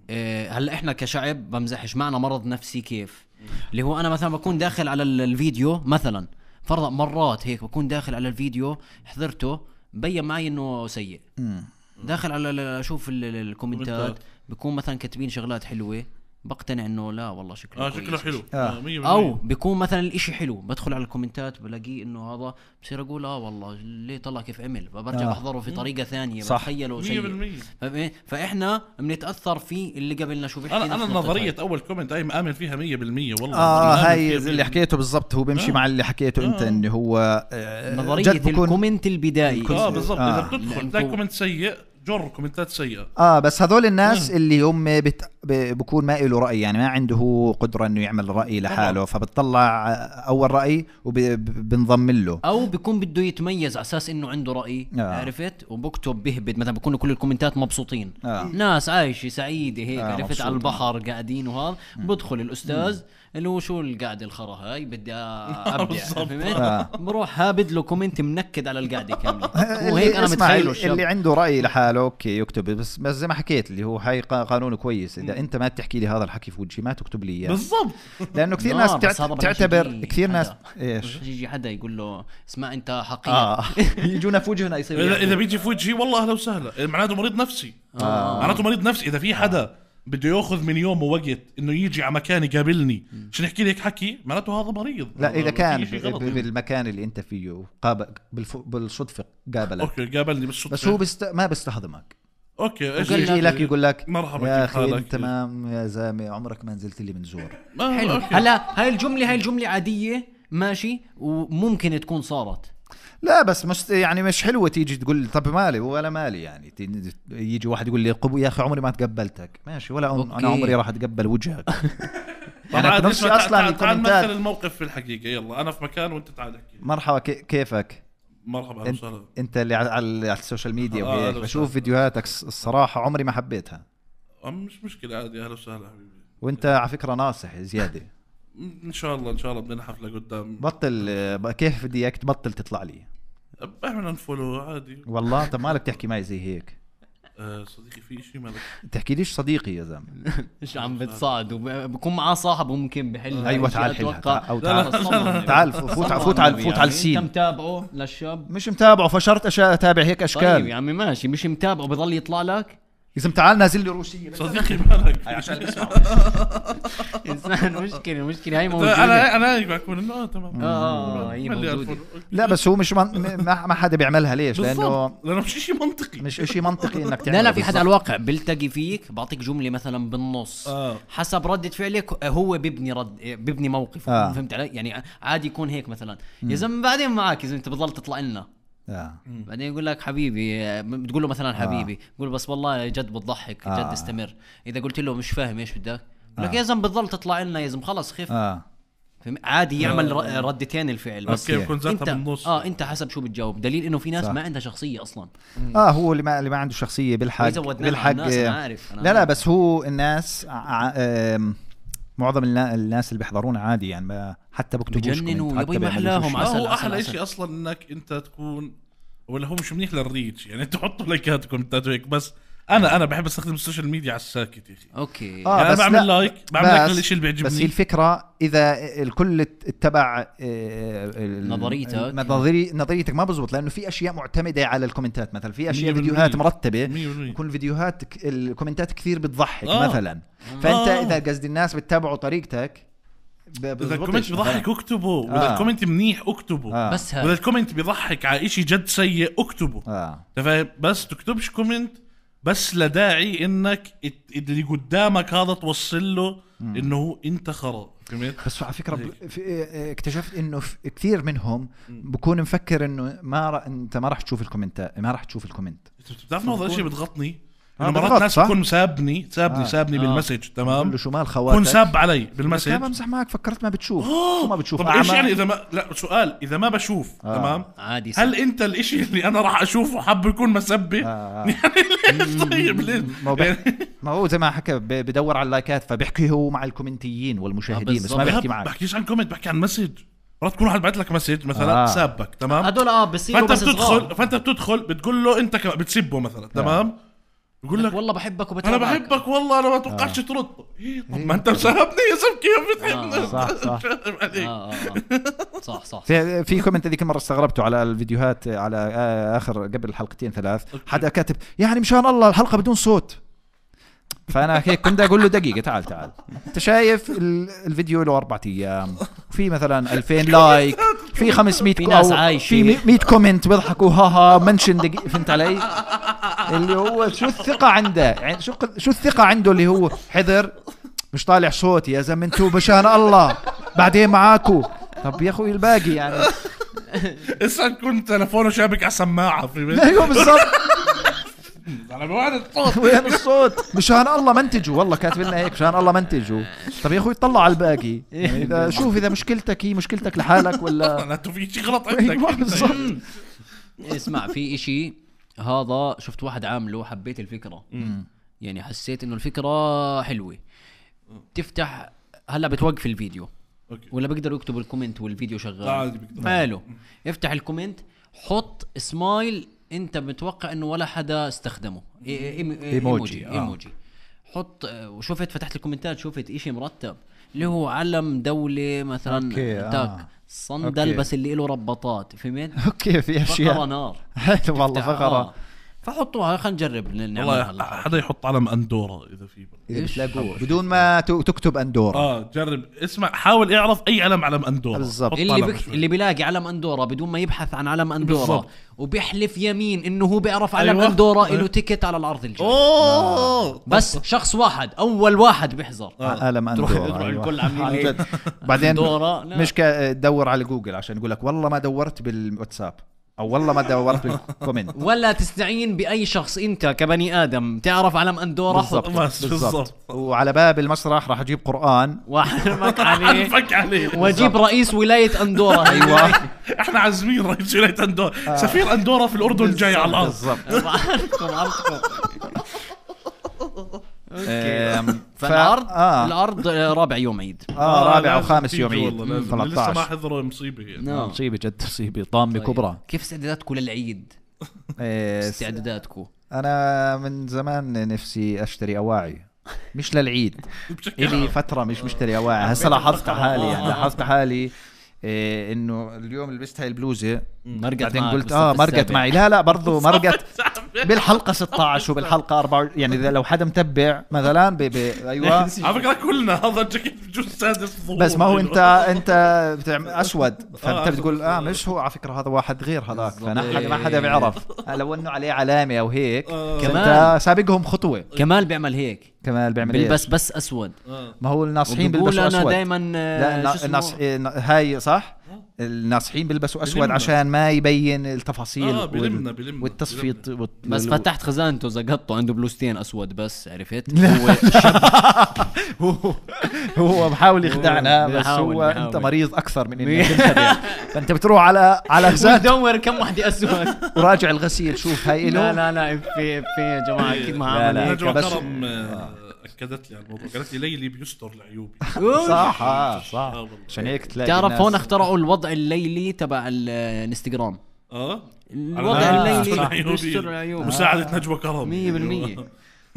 أه هلا احنا كشعب بمزحش معنا مرض نفسي كيف اللي هو انا مثلا بكون داخل على ال- الفيديو مثلا فرضا مرات هيك بكون داخل على الفيديو حضرته بين معي انه سيء مم. داخل على ال- اشوف ال- ال- الكومنتات كومنتات. بكون مثلا كاتبين شغلات حلوه بقتنع انه لا والله شكله اه كويس. شكله حلو آه. آه. مية بالمية. او بيكون مثلا الاشي حلو بدخل على الكومنتات بلاقيه انه هذا بصير اقول اه والله ليه طلع كيف عمل فبرجع آه. بحضره في طريقه ثانيه صح. بتخيله مية سيء بالمية. فاهم إيه؟ فاحنا بنتاثر في اللي قبلنا شو بيحكي انا نفس انا النقطة نظريه هاي. اول كومنت هاي مآمن فيها مية بالمية والله اه مآمن هاي فيها اللي مية حكيته بالضبط هو بيمشي آه. مع اللي حكيته انت آه. انه هو آه، نظريه جد بكون- الكومنت البدائي اه بالضبط آه. اذا بتدخل لأنكو- تلاقي كومنت سيء جر كومنتات سيئه اه بس هذول الناس اللي هم بت... ب- بكون ما له رأي يعني ما عنده هو قدرة انه يعمل رأي لحاله فبتطلع اول رأي وبنضم له او بيكون بده يتميز على اساس انه عنده راي آه. عرفت وبكتب بهبد مثلا بكونوا كل الكومنتات مبسوطين آه. ناس عايشه سعيده هيك آه، عرفت مبسوطة. على البحر قاعدين وهذا بدخل الاستاذ اللي هو شو القعده الخرا هاي بدي ابدع بالضبط. فهمت آه. بروح هابد له كومنت منكد على القعده كامله وهيك انا اسمع، متخيله اللي الشاب عنده رأي لحاله اوكي يكتب بس بس زي ما حكيت اللي هو هاي قا- قانون كويس اذا انت ما تحكي لي هذا الحكي في وجهي ما تكتب لي اياه بالضبط لانه كثير لا، ناس بس تعت- هذا بلاش تعتبر يجي كثير ناس حدا. ايش يجي حدا يقول له اسمع انت حقير اه يجونا في وجهنا يصير اذا اذا يحكوا. بيجي في وجهي والله اهلا وسهلا معناته مريض نفسي آه. معناته مريض نفسي اذا في حدا بده ياخذ من يومه وقت انه يجي على مكان يقابلني عشان يحكي لي هيك حكي معناته هذا مريض لا اذا في كان شيء غلط ب- منه. بالمكان اللي انت فيه قابل بالف... بالصدفه قابلك اوكي قابلني بالصدفه بس هو بست... ما بيستخدمك اوكي ايش وقال يجي لك يقول لك مرحبا يا كيف اخي حالك؟ انت تمام يا زلمه عمرك ما نزلت لي من زور آه، حلو أوكي. هلا هاي الجمله هاي الجمله عاديه ماشي وممكن تكون صارت لا بس مش يعني مش حلوه تيجي تقول طب مالي ولا مالي يعني ت- يجي واحد يقول لي قبو يا اخي عمري ما تقبلتك ماشي ولا أم- أوكي. انا عمري راح اتقبل وجهك طبعا يعني عاد نفسي اسمع، أصلاً تعال تعال الكومنتات- نمثل الموقف في الحقيقه يلا انا في مكان وانت تعال احكي مرحبا كي- كيفك مرحبا اهلا انت, وسهلا انت اللي على, على السوشيال ميديا آه، وهيك أهلا بشوف وسهلا. فيديوهاتك الص- الصراحه عمري ما حبيتها آه، مش مشكله عادي اهلا وسهلا حبيبي وانت على فكره ناصح زياده ان شاء الله ان شاء الله بدنا حفله قدام بطل آه، كيف بدي اياك تبطل تطلع لي اعمل انفولو عادي والله طب مالك تحكي معي زي هيك آه صديقي في شيء مالك تحكي ليش صديقي يا زلمه مش عم بتصعد وبكون معاه صاحب ممكن بحل ايوه هاي تعال الأشياء حلها أتوقع. تعال او لا، لا، تعال لا، لا، لا. تعال فوت صلى فوت على على النبي فوت على يعني. السين انت متابعه للشاب مش متابعه فشرت أشا- اتابع هيك طيب اشكال يا عمي ماشي مش متابعه بضل يطلع لك اذا تعال نازل لي روسيه صديقي مالك عشان اسمع انسان مشكله المشكله هاي موجوده انا انا هيك بكون انه اه تمام اه هي ملي موجوده ألف. لا بس هو مش من... ما ما حدا بيعملها ليش لانه بالضبط لانه مش شيء منطقي مش اشي منطقي انك تعمله لا لا في حدا على بالضبط. الواقع بيلتقي فيك بعطيك جمله مثلا بالنص آه. حسب ردة فعلك هو بيبني رد بيبني موقف آه. فهمت علي يعني عادي يكون هيك مثلا يا زلمه بعدين معك اذا انت بتضل تطلع لنا آه. بعدين يقول لك حبيبي بتقول له مثلا حبيبي يقول بس والله جد بتضحك آه. جد استمر اذا قلت له مش فاهم ايش بدك يقول لك يا زلمه بتضل تطلع لنا يا زلمه خلص خف اه فهم؟ عادي يعمل ر- ردتين الفعل بس اوكي بكون ذاتها انت بالنص اه انت حسب شو بتجاوب دليل انه في ناس صح. ما عندها شخصيه اصلا اه هو اللي ما اللي ما عنده شخصيه بالحق زودناها بالحق على الناس، أنا آه، عارف، أنا لا لا عارف. بس هو الناس ع- آم، معظم النا- الناس اللي بيحضرونا عادي يعني ما حتى بكتبوش بجننوا، كومنت، حتى يبا ما بيعملوش أحلاهم شيء. ما عسل، هو عسل، احلى عسل. شيء اصلا انك انت تكون ولا هو مش منيح للريتش يعني تحطوا لايكات وكومنتات وهيك بس انا انا بحب استخدم السوشيال ميديا على الساكت يا اخي اوكي آه، يعني انا بس بعمل لا، لايك بعمل لايك بس- للشيء اللي بس هي بيعجبني الفكره اذا الكل اتبع آه، ال- نظريتك. نظري نظريتك ما بزبط لانه في اشياء معتمده على الكومنتات مثلا في اشياء مية بالمية. فيديوهات مرتبه مية بالمية. يكون الفيديوهات ك- الكومنتات كثير بتضحك آه. مثلا فانت آه. اذا قصدي الناس بتتابعوا طريقتك ب- اذا بزبطش الكومنت بيضحك مثلاً. اكتبه آه. واذا الكومنت منيح اكتبه آه. بس واذا هاي الكومنت بيضحك على شيء جد سيء اكتبه اه انت فاهم بس تكتبش كومنت بس لداعي انك ات- اللي قدامك هذا توصل له انه هو انت خرا فهمت بس على فكره ب- في اه، اكتشفت انه في- كثير منهم بكون مفكر انه ما ر... انت ما راح تشوف الكومنتات ما راح تشوف الكومنت انت بتعرف انه هذا الشيء بتغطني آه، انه مرات بتغط، ناس صح؟ بتكون سابني سابني آه. سابني آه. بالمسج بقول تمام له شو مال كون خواتك ساب علي بس بالمسج انا بمزح معك فكرت ما بتشوف آه. شو ما بتشوف طب ايش أعمى؟ يعني اذا ما لا سؤال اذا ما بشوف آه. تمام عادي صح. هل انت الاشي اللي انا راح اشوفه حاب يكون مسبه آه. يعني ليش طيب ليش ما هو بح- يعني ما هو زي ما حكى ب- بدور على اللايكات فبيحكي هو مع الكومنتيين والمشاهدين بس بالضبط. ما لا، بيحكي معك بحكيش عن كومنت بحكي عن مسج مرات تكون واحد بعت لك مسج مثلا آه. سابك تمام هدول اه بصيروا فانت بس بتدخل صغار فانت بتدخل بتقول له انت كمان بتسبه مثلا تمام يقول لك والله بحبك انا وبتابعك. بحبك والله انا ما توقعتش ترد. إيه طب ما انت مساهمني يا زلمه كيف بتحبني. آه. صح صح عليك. آه آه آه. صح صح في في كومنت ذيك المره استغربته على الفيديوهات على آه، اخر قبل حلقتين ثلاث حدا كاتب يعني مشان الله الحلقه بدون صوت. فانا هيك كنت اقول له دقيقه تعال تعال انت شايف ال- الفيديو له اربعة ايام في مثلا ألفين لايك في خمسمية في كو- ناس أو عايشة. في مية كومنت بيضحكوا ها ها منشن دقيقه. فهمت علي؟ اللي هو شو الثقه عنده يعني شو شو الثقه عنده اللي هو حذر مش طالع صوتي يا زلمه انتوا مشان الله بعدين معاكو. طب يا اخوي الباقي يعني اسا كنت تلفونه شابك على سماعه في بيت. ايوه بالضبط. على موعد الصوت. وين الصوت مشان الله منتجوا والله كاتب لنا هيك مشان الله منتجوا. طب يا اخوي طلع على الباقي يعني اذا شوف اذا مشكلتك هي مشكلتك لحالك ولا لا انتوا في شيء غلط أيوة عندك. بالضبط. اسمع في اشي هذا شفت واحد عامله حبيت الفكرة يعني حسيت انه الفكرة حلوة. تفتح هلا بتوقف الفيديو أوكي. ولا بيقدروا يكتبوا الكومنت والفيديو لا شغال. عادي بيقدر. حلو. افتح الكومنت حط سمايل انت متوقع انه ولا حدا استخدمه. إي- إيم- ايموجي آه. ايموجي حط. وشفت فتحت الكومنتات شفت اشي مرتب اللي هو علم دولة مثلا أوكي، آه. تاك صندل أوكي. بس اللي له رباطات فهمت. اوكي في فقرة اشياء نار. حلو والله فقره. آه. فحطوها خلينا نجرب نعملها والله هلا. حدا يحط علم اندورا اذا في. إذا إيش؟ بتلاقوه بدون ما ت- تكتب اندورا. اه جرب اسمع حاول اعرف اي علم علم اندورا. بالضبط. حط اللي علم بك... شوي. اللي بيلاقي علم اندورا بدون ما يبحث عن علم اندورا بالضبط. وبيحلف يمين انه هو بيعرف علم أيوة. اندورا أيوة. له تيكت على العرض الجاي. اوه بس شخص واحد اول واحد بيحضر. عالم تروح اندورا تروح أيوة. الكل عاملين عن هيك. جد. بعدين أندورا، لا. مش كا- تدور على جوجل عشان يقول لك والله ما دورت بالواتساب او والله ما دورت بالكومنت. ولا تستعين باي شخص انت كبني ادم تعرف علم اندورا بالضبط حط بس بالضبط. وعلى باب المسرح راح اجيب قرآن. واحرمك عليه فك عليه. واجيب رئيس ولايه اندورا. ايوه احنا عازمين رئيس ولايه اندورا. سفير اندورا في الاردن جاي على الارض. بالضبط. بعرفكم بعرفكم. أم، ف- فالعرض آه. العرض رابع يوم عيد. اه رابع لازم وخامس تيجي يوم عيد والله، لازم. اللي لسه ما ثلاثة عشر. حضروا مصيبه هي. نعم. مصيبة جد مصيبة طامة كبرى. كيف استعداداتكم للعيد؟ إيه، استعداداتكم انا من زمان نفسي اشتري اواعي مش للعيد. بشكل الي عام. فترة مش مشتري اواعي. هسه لاحظت حالي يعني لاحظت حالي إيه انه اليوم لبست هاي البلوزة مرقت بعدين معك قلت بالست اه مرقت السابع. معي. لا لا برضو مرقت بالحلقة ستة عشر وبالحلقة أربعة يعني اذا لو حدا متبع مثلا ب... ب... ايوه على فكره كلنا هذا الجاكيت بجوز سادس ظهور. بس ما هو انت انت بتعمل اسود فانت آه، بتقول اه مش هو على فكره هذا واحد غير هذاك فنحن ما حدا بيعرف لو انه عليه علامه او هيك آه. كمان كمان. سابقهم خطوه. كمال بيعمل هيك كمان بيعمل بيلبس إيش؟ بس اسود. ما هو الناصحين وبيقول بيلبسوا انا اسود. دائما لا النا- الناص إيه، ن- هاي صح الناصحين بيلبسوا اسود بلمنا. عشان ما يبين التفاصيل آه، بلمنا- وال- بلمنا. والتصفيط وال- بس وال- فتحت خزانته زقطته عنده بلوستين اسود بس عرفت. هو هو بحاول يخدعنا هو بس بيحاول- هو بيحاول. انت مريض اكثر من انك تنخدع. فانت بتروح على على خزانته دور كم وحده اسود. وراجع الغسيل شوف هاي لا له لا لا في في يا جماعه اكيد ما لا، عمل لا. هيك. نجوى بس- كرم آه، اكدت لي على الموضوع قالت لي ليلي بيستر لعيوبي. صح اه صح آه والله. عشان هيك تلاقي تعرف الناس- هون اخترعوا الوضع الليلي تبع الانستغرام. اه الوضع على- آه، بيستر الليلي لعيوبي. بيستر العيوب. مساعدة نجوى كرم. مية بالمية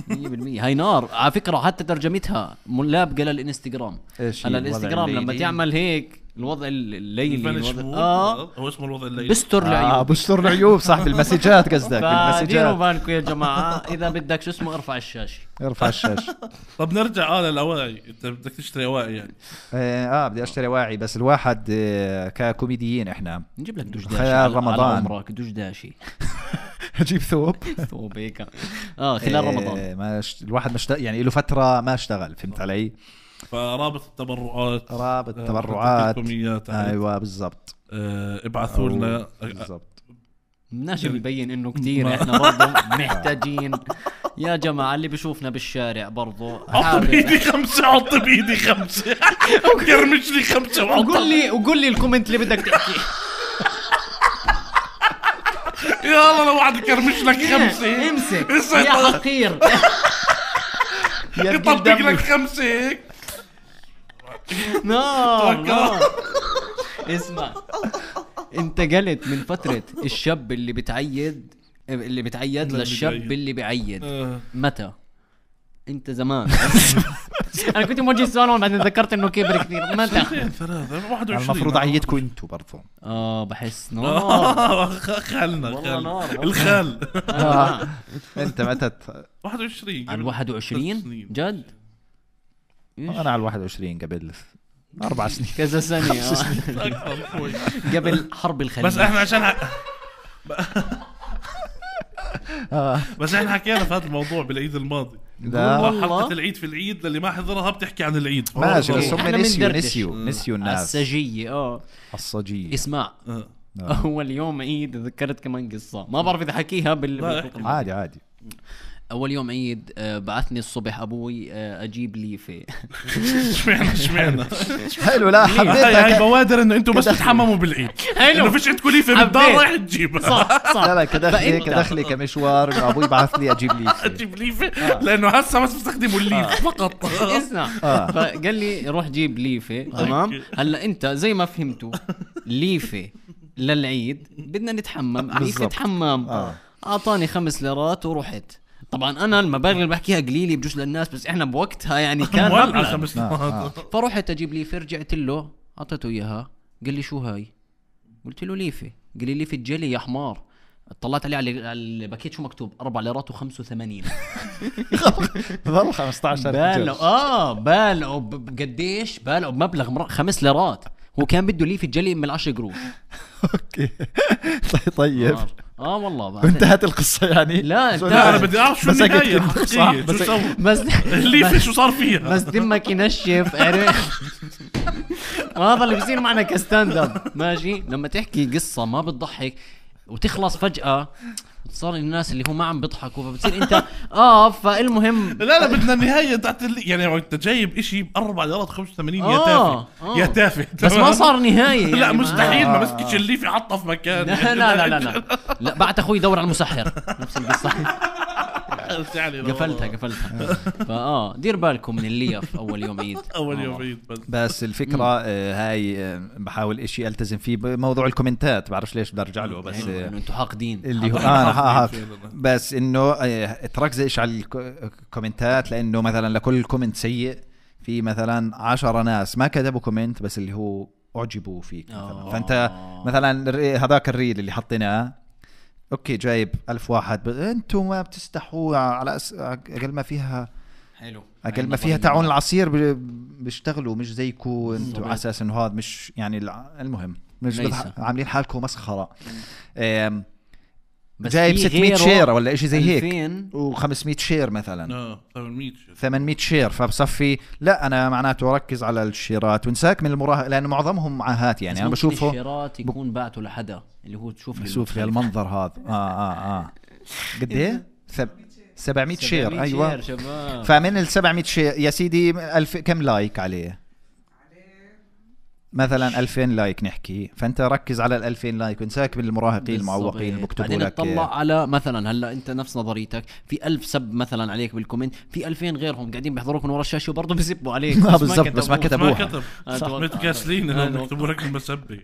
مية بالمية هاي نار على فكرة. حتى ترجمتها ملابقة للانستغرام. ايش هلا هي الوضع الانستغرام لما الليلي؟ تعمل هيك الوضع الليلي الفانيش الوضع مود. اه هو اسمه الوضع الليلي. بستر اه العيوب. بستر العيوب صح بالمسجات قصدك فديروا بالمسجات بالكم يا جماعة إذا بدك شو اسمه ارفع الشاشة. ارفع الشاشه. طب نرجع اه للاواعي. انت بدك تشتري اواعي يعني. اه آه، بدي اشتري واعي بس الواحد آه، ككوميديين احنا نجيب لك دشداشي خلال على- على رمضان. عمرك دشداشي. اجيب ثوب ثوب هيك اه خلال رمضان. آه، ما ش... الواحد مش يعني له فتره ما اشتغل فهمت علي. فرابط التبرعات رابط آه، التبرعات بدكم إياه، تعال. ايوه بالضبط آه، ابعثوا لنا. بالضبط. بدناش يبين انه كتير احنا برضه محتاجين يا جماعة. اللي بشوفنا بالشارع برضه حط بايدي خمسة حط بايدي خمسة كرمش لي خمسة وحط وقول لي وقول لي الكومنت اللي بدك تحكيه. يلا لو واحد كرمش لك خمسة امسك اسعد يا الله. حقير. يطبق لك خمسة هيك. نار توكل. نار. اسمع انت قلت من فترة الشاب اللي بتعيد اللي بتعيد اللي للشاب بيعيد. اللي بيعيد آه. متى انت زمان انا كنت موجه السؤال بعدين ذكرت انه كبر كثير متى سنتين ثلاثة واحد وعشرين المفروض اعيدكم انتوا برضو. اه بحس نار آه، خالنا والله خال. نار. الخال آه. انت متى ت- واحد وعشرين على واحد وعشرين جد إيش؟ انا على واحد وعشرين قبل اربع سنين. كذا سنة آه. أكثر شوي. قبل حرب الخليج بس احنا عشان ح... آه. بس احنا حكينا في هذا الموضوع بالعيد الماضي. لا والله. حلقة العيد في العيد للي ما حضرها بتحكي عن العيد. ماشي بس إحنا هم نسيوا بندردش. نسيوا نسيوا الناس السجية اه الصجية. اسمع آه. اول يوم عيد ذكرت كمان قصة ما بعرف اذا حكيها بال لا، بال- عادي عادي. اول يوم عيد آه، بعثني الصبح ابوي آه، اجيب ليفه اشمعنى اشمعنى حلو. لا هاي هاي حبيتها. بوادر انه انتم بس تتحمموا بالعيد. حلو. انه فيش عندكم ليفه بالدار حبيت. رايح تجيبها. صح صح لا لا كدخلي فأنت- كدخلي كمشوار إنه ابوي بعث لي اجيب لي تجيب ليفه لانه هسه بس بستخدموا الليف فقط. اسمع آه. فقال لي روح جيب ليفه تمام. أوكي. هلا انت زي ما فهمتوا ليفه للعيد بدنا نتحمم ليفه بالضبط. حمام آه. اعطاني خمس ليرات ورحت. طبعا انا المبالغ اللي بحكيها قليله بجوز للناس بس احنا بوقتها يعني كان مولع مبلغ. خمس آه. مرات. فرحت اجيب ليفه رجعت له اعطيته اياها قال لي شو هاي قلت له ليفه قال لي ليفه جلي يا حمار. طلعت عليه على على الباكيت شو مكتوب أربع ليرات وخمسة وثمانين. ظل خمسة عشر بالعوا اه بالعوا ب- قديش بالعوا بمبلغ مر... خمس ليرات. هو كان بده ليفه جلي من العشر قروش. اوكي. طيب اه, آه والله بعد- وانتهت القصة يعني. لا، سو- انتهت. لا انا بدي اعرف شو مسكت النهايه كنت- الحقيقية. صح، شو بس- سوى بس الليفه شو صار فيها. بس دمك ينشف عرفت. وهذا اللي بيصير معنا كستاند اب ماشي. لما تحكي قصه ما بتضحك وتخلص فجاه صار الناس اللي هو ما عم بيضحكوا فبتصير انت اه فالمهم لا لا بدنا النهايه تاعت اللي يعني انت جايب اشي ب أربعة ليرات وخمسة وثمانين يا آه، تافه آه. يا تافه بس ما صار نهايه يعني لا ما- مستحيل ما آه. مسكتش الليفه حطها في مكان. لا لا لا لا لا, لا بعت اخوي يدور على المسحر نفس القصه. يعني قفلتها قفلتها فاه دير بالكم من الليف اول يوم عيد. اول يوم عيد بس. بس الفكرة آه، هاي آه، بحاول اشي التزم فيه بموضوع الكومنتات. بعرفش ليش بدي ارجع له بس حلو آه، انه انتم حاقدين. اللي هو حاضر. آه ها ها فعلاً. بس انه آه، تركزش على الكومنتات لانه مثلا لكل كومنت سيء في مثلا عشرة ناس ما كتبوا كومنت بس اللي هو اعجبوا فيك مثلا. آه. فانت مثلا الري- هذاك الريل اللي حطيناه اوكي جايب ألف واحد ب... انتم ما بتستحوا على أس... اقل ما فيها حلو اقل ما فيها تعاون العصير ب... بيشتغلوا مش زيكم انتم على اساس انه هذا مش يعني الع- المهم مش ليس. بضح... عاملين حالكم مسخره. آم، بس جايب في ستمية غيره شير ولا اشي زي هيك ألفين و500 شير مثلا اه ثمانمية. ثمانمية شير فبصفي لا انا معناته ركز على الشيرات وانساك من المراهق لانه معظمهم معاهات يعني بس انا ممكن بشوفه الشيرات يكون بعته لحدا اللي هو تشوف بشوف المنظر هذا اه اه اه قد ايه ثب... سبعمية شير ايوه شير شباب. فمن ال سبعمية شير يا سيدي ألف كم لايك عليه مثلا ألفين لايك نحكي فانت ركز على ال ألفين لايك وانساك من المراهقين المعوقين اللي بيكتبوا بعدين لك تطلع على مثلا هلا انت نفس نظريتك في ألف سب مثلا عليك بالكومنت في ألفين غيرهم قاعدين بيحضروك من ورا الشاشه وبرضه بيسبوا عليك آه، بس بالضبط، بس ما كتبوها. ما كتبوها. كتب أتوقع. متكاسلين أنا انهم أتوقع. يكتبوا لك المسبه.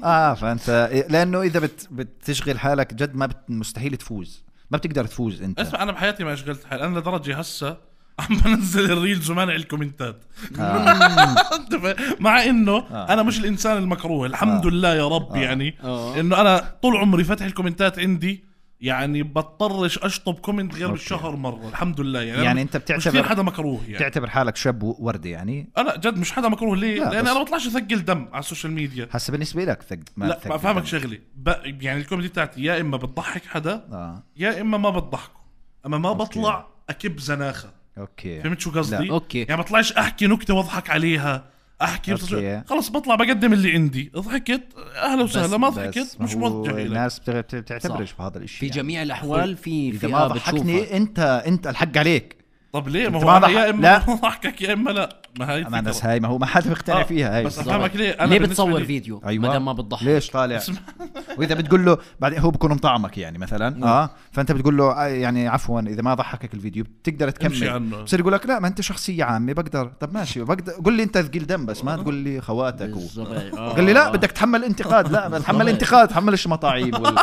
اه فانت لانه اذا بت... بتشغل حالك جد ما بت... مستحيل تفوز ما بتقدر تفوز انت. اسمع انا بحياتي ما اشغلت حالي انا لدرجه هسه عم بنزل الريلز ومانع الكومنتات. أنت فاهم؟ مع انه آه. انا مش الانسان المكروه الحمد آه. لله يا رب. آه. يعني آه. انه انا طول عمري فتح الكومنتات عندي يعني بضطرش اشطب كومنت غير أوكي. بالشهر مره الحمد لله. يعني, يعني أنا انت مش كثير بتعتبر حدا مكروه يعني. تعتبر حالك شاب وردي يعني انا جد مش حدا مكروه ليه؟ لا، لان بس- انا بطلعش اثقل دم على السوشيال ميديا. هسه بالنسبه لك ثق ما لا تثقل بفهمك دم. شغله ب... يعني الكوميدي بتاعتي يا اما بتضحك حدا اه يا اما ما بتضحكه اما ما أوكي. بطلع اكب زناخه. اوكي فهمت شو قصدي؟ لا. اوكي يعني بطلعش احكي نكته واضحك عليها احكي أوكي. خلص بطلع بقدم اللي عندي ضحكت اهلا وسهلا ما بس ضحكت ما مش هو موجه لك. الناس بتغ- بتعتبرش صح. بهذا الشيء في يعني. جميع الاحوال في اذا فئه ما بتشوفها ضحكني انت انت الحق عليك طب ليه ما أنت هو ما أنا ضحك- يا اما لا. بضحكك يا اما لا. ما هي ما الناس الفكرة. هاي ما هو ما حدا بيقتنع آه، فيها هاي بس بالضبط. افهمك ليه أنا ليه بالنسبة بتصور لي- فيديو أيوة. ما دام ما بتضحك؟ ليش طالع اسمع. واذا بتقول له بعدين هو بكون مطعمك يعني مثلا اه فانت بتقول له آه، يعني عفوا اذا ما ضحكك الفيديو بتقدر امشي تكمل. عنه. بصير يقول لك لا ما انت شخصيه عامه بقدر. طب ماشي بقدر قول لي انت ثقيل دم بس ما تقول لي خواتك و... بالضبط. آه. قال لي لا بدك تحمل انتقاد. لا تحمل انتقاد تحملش مطاعيب وال...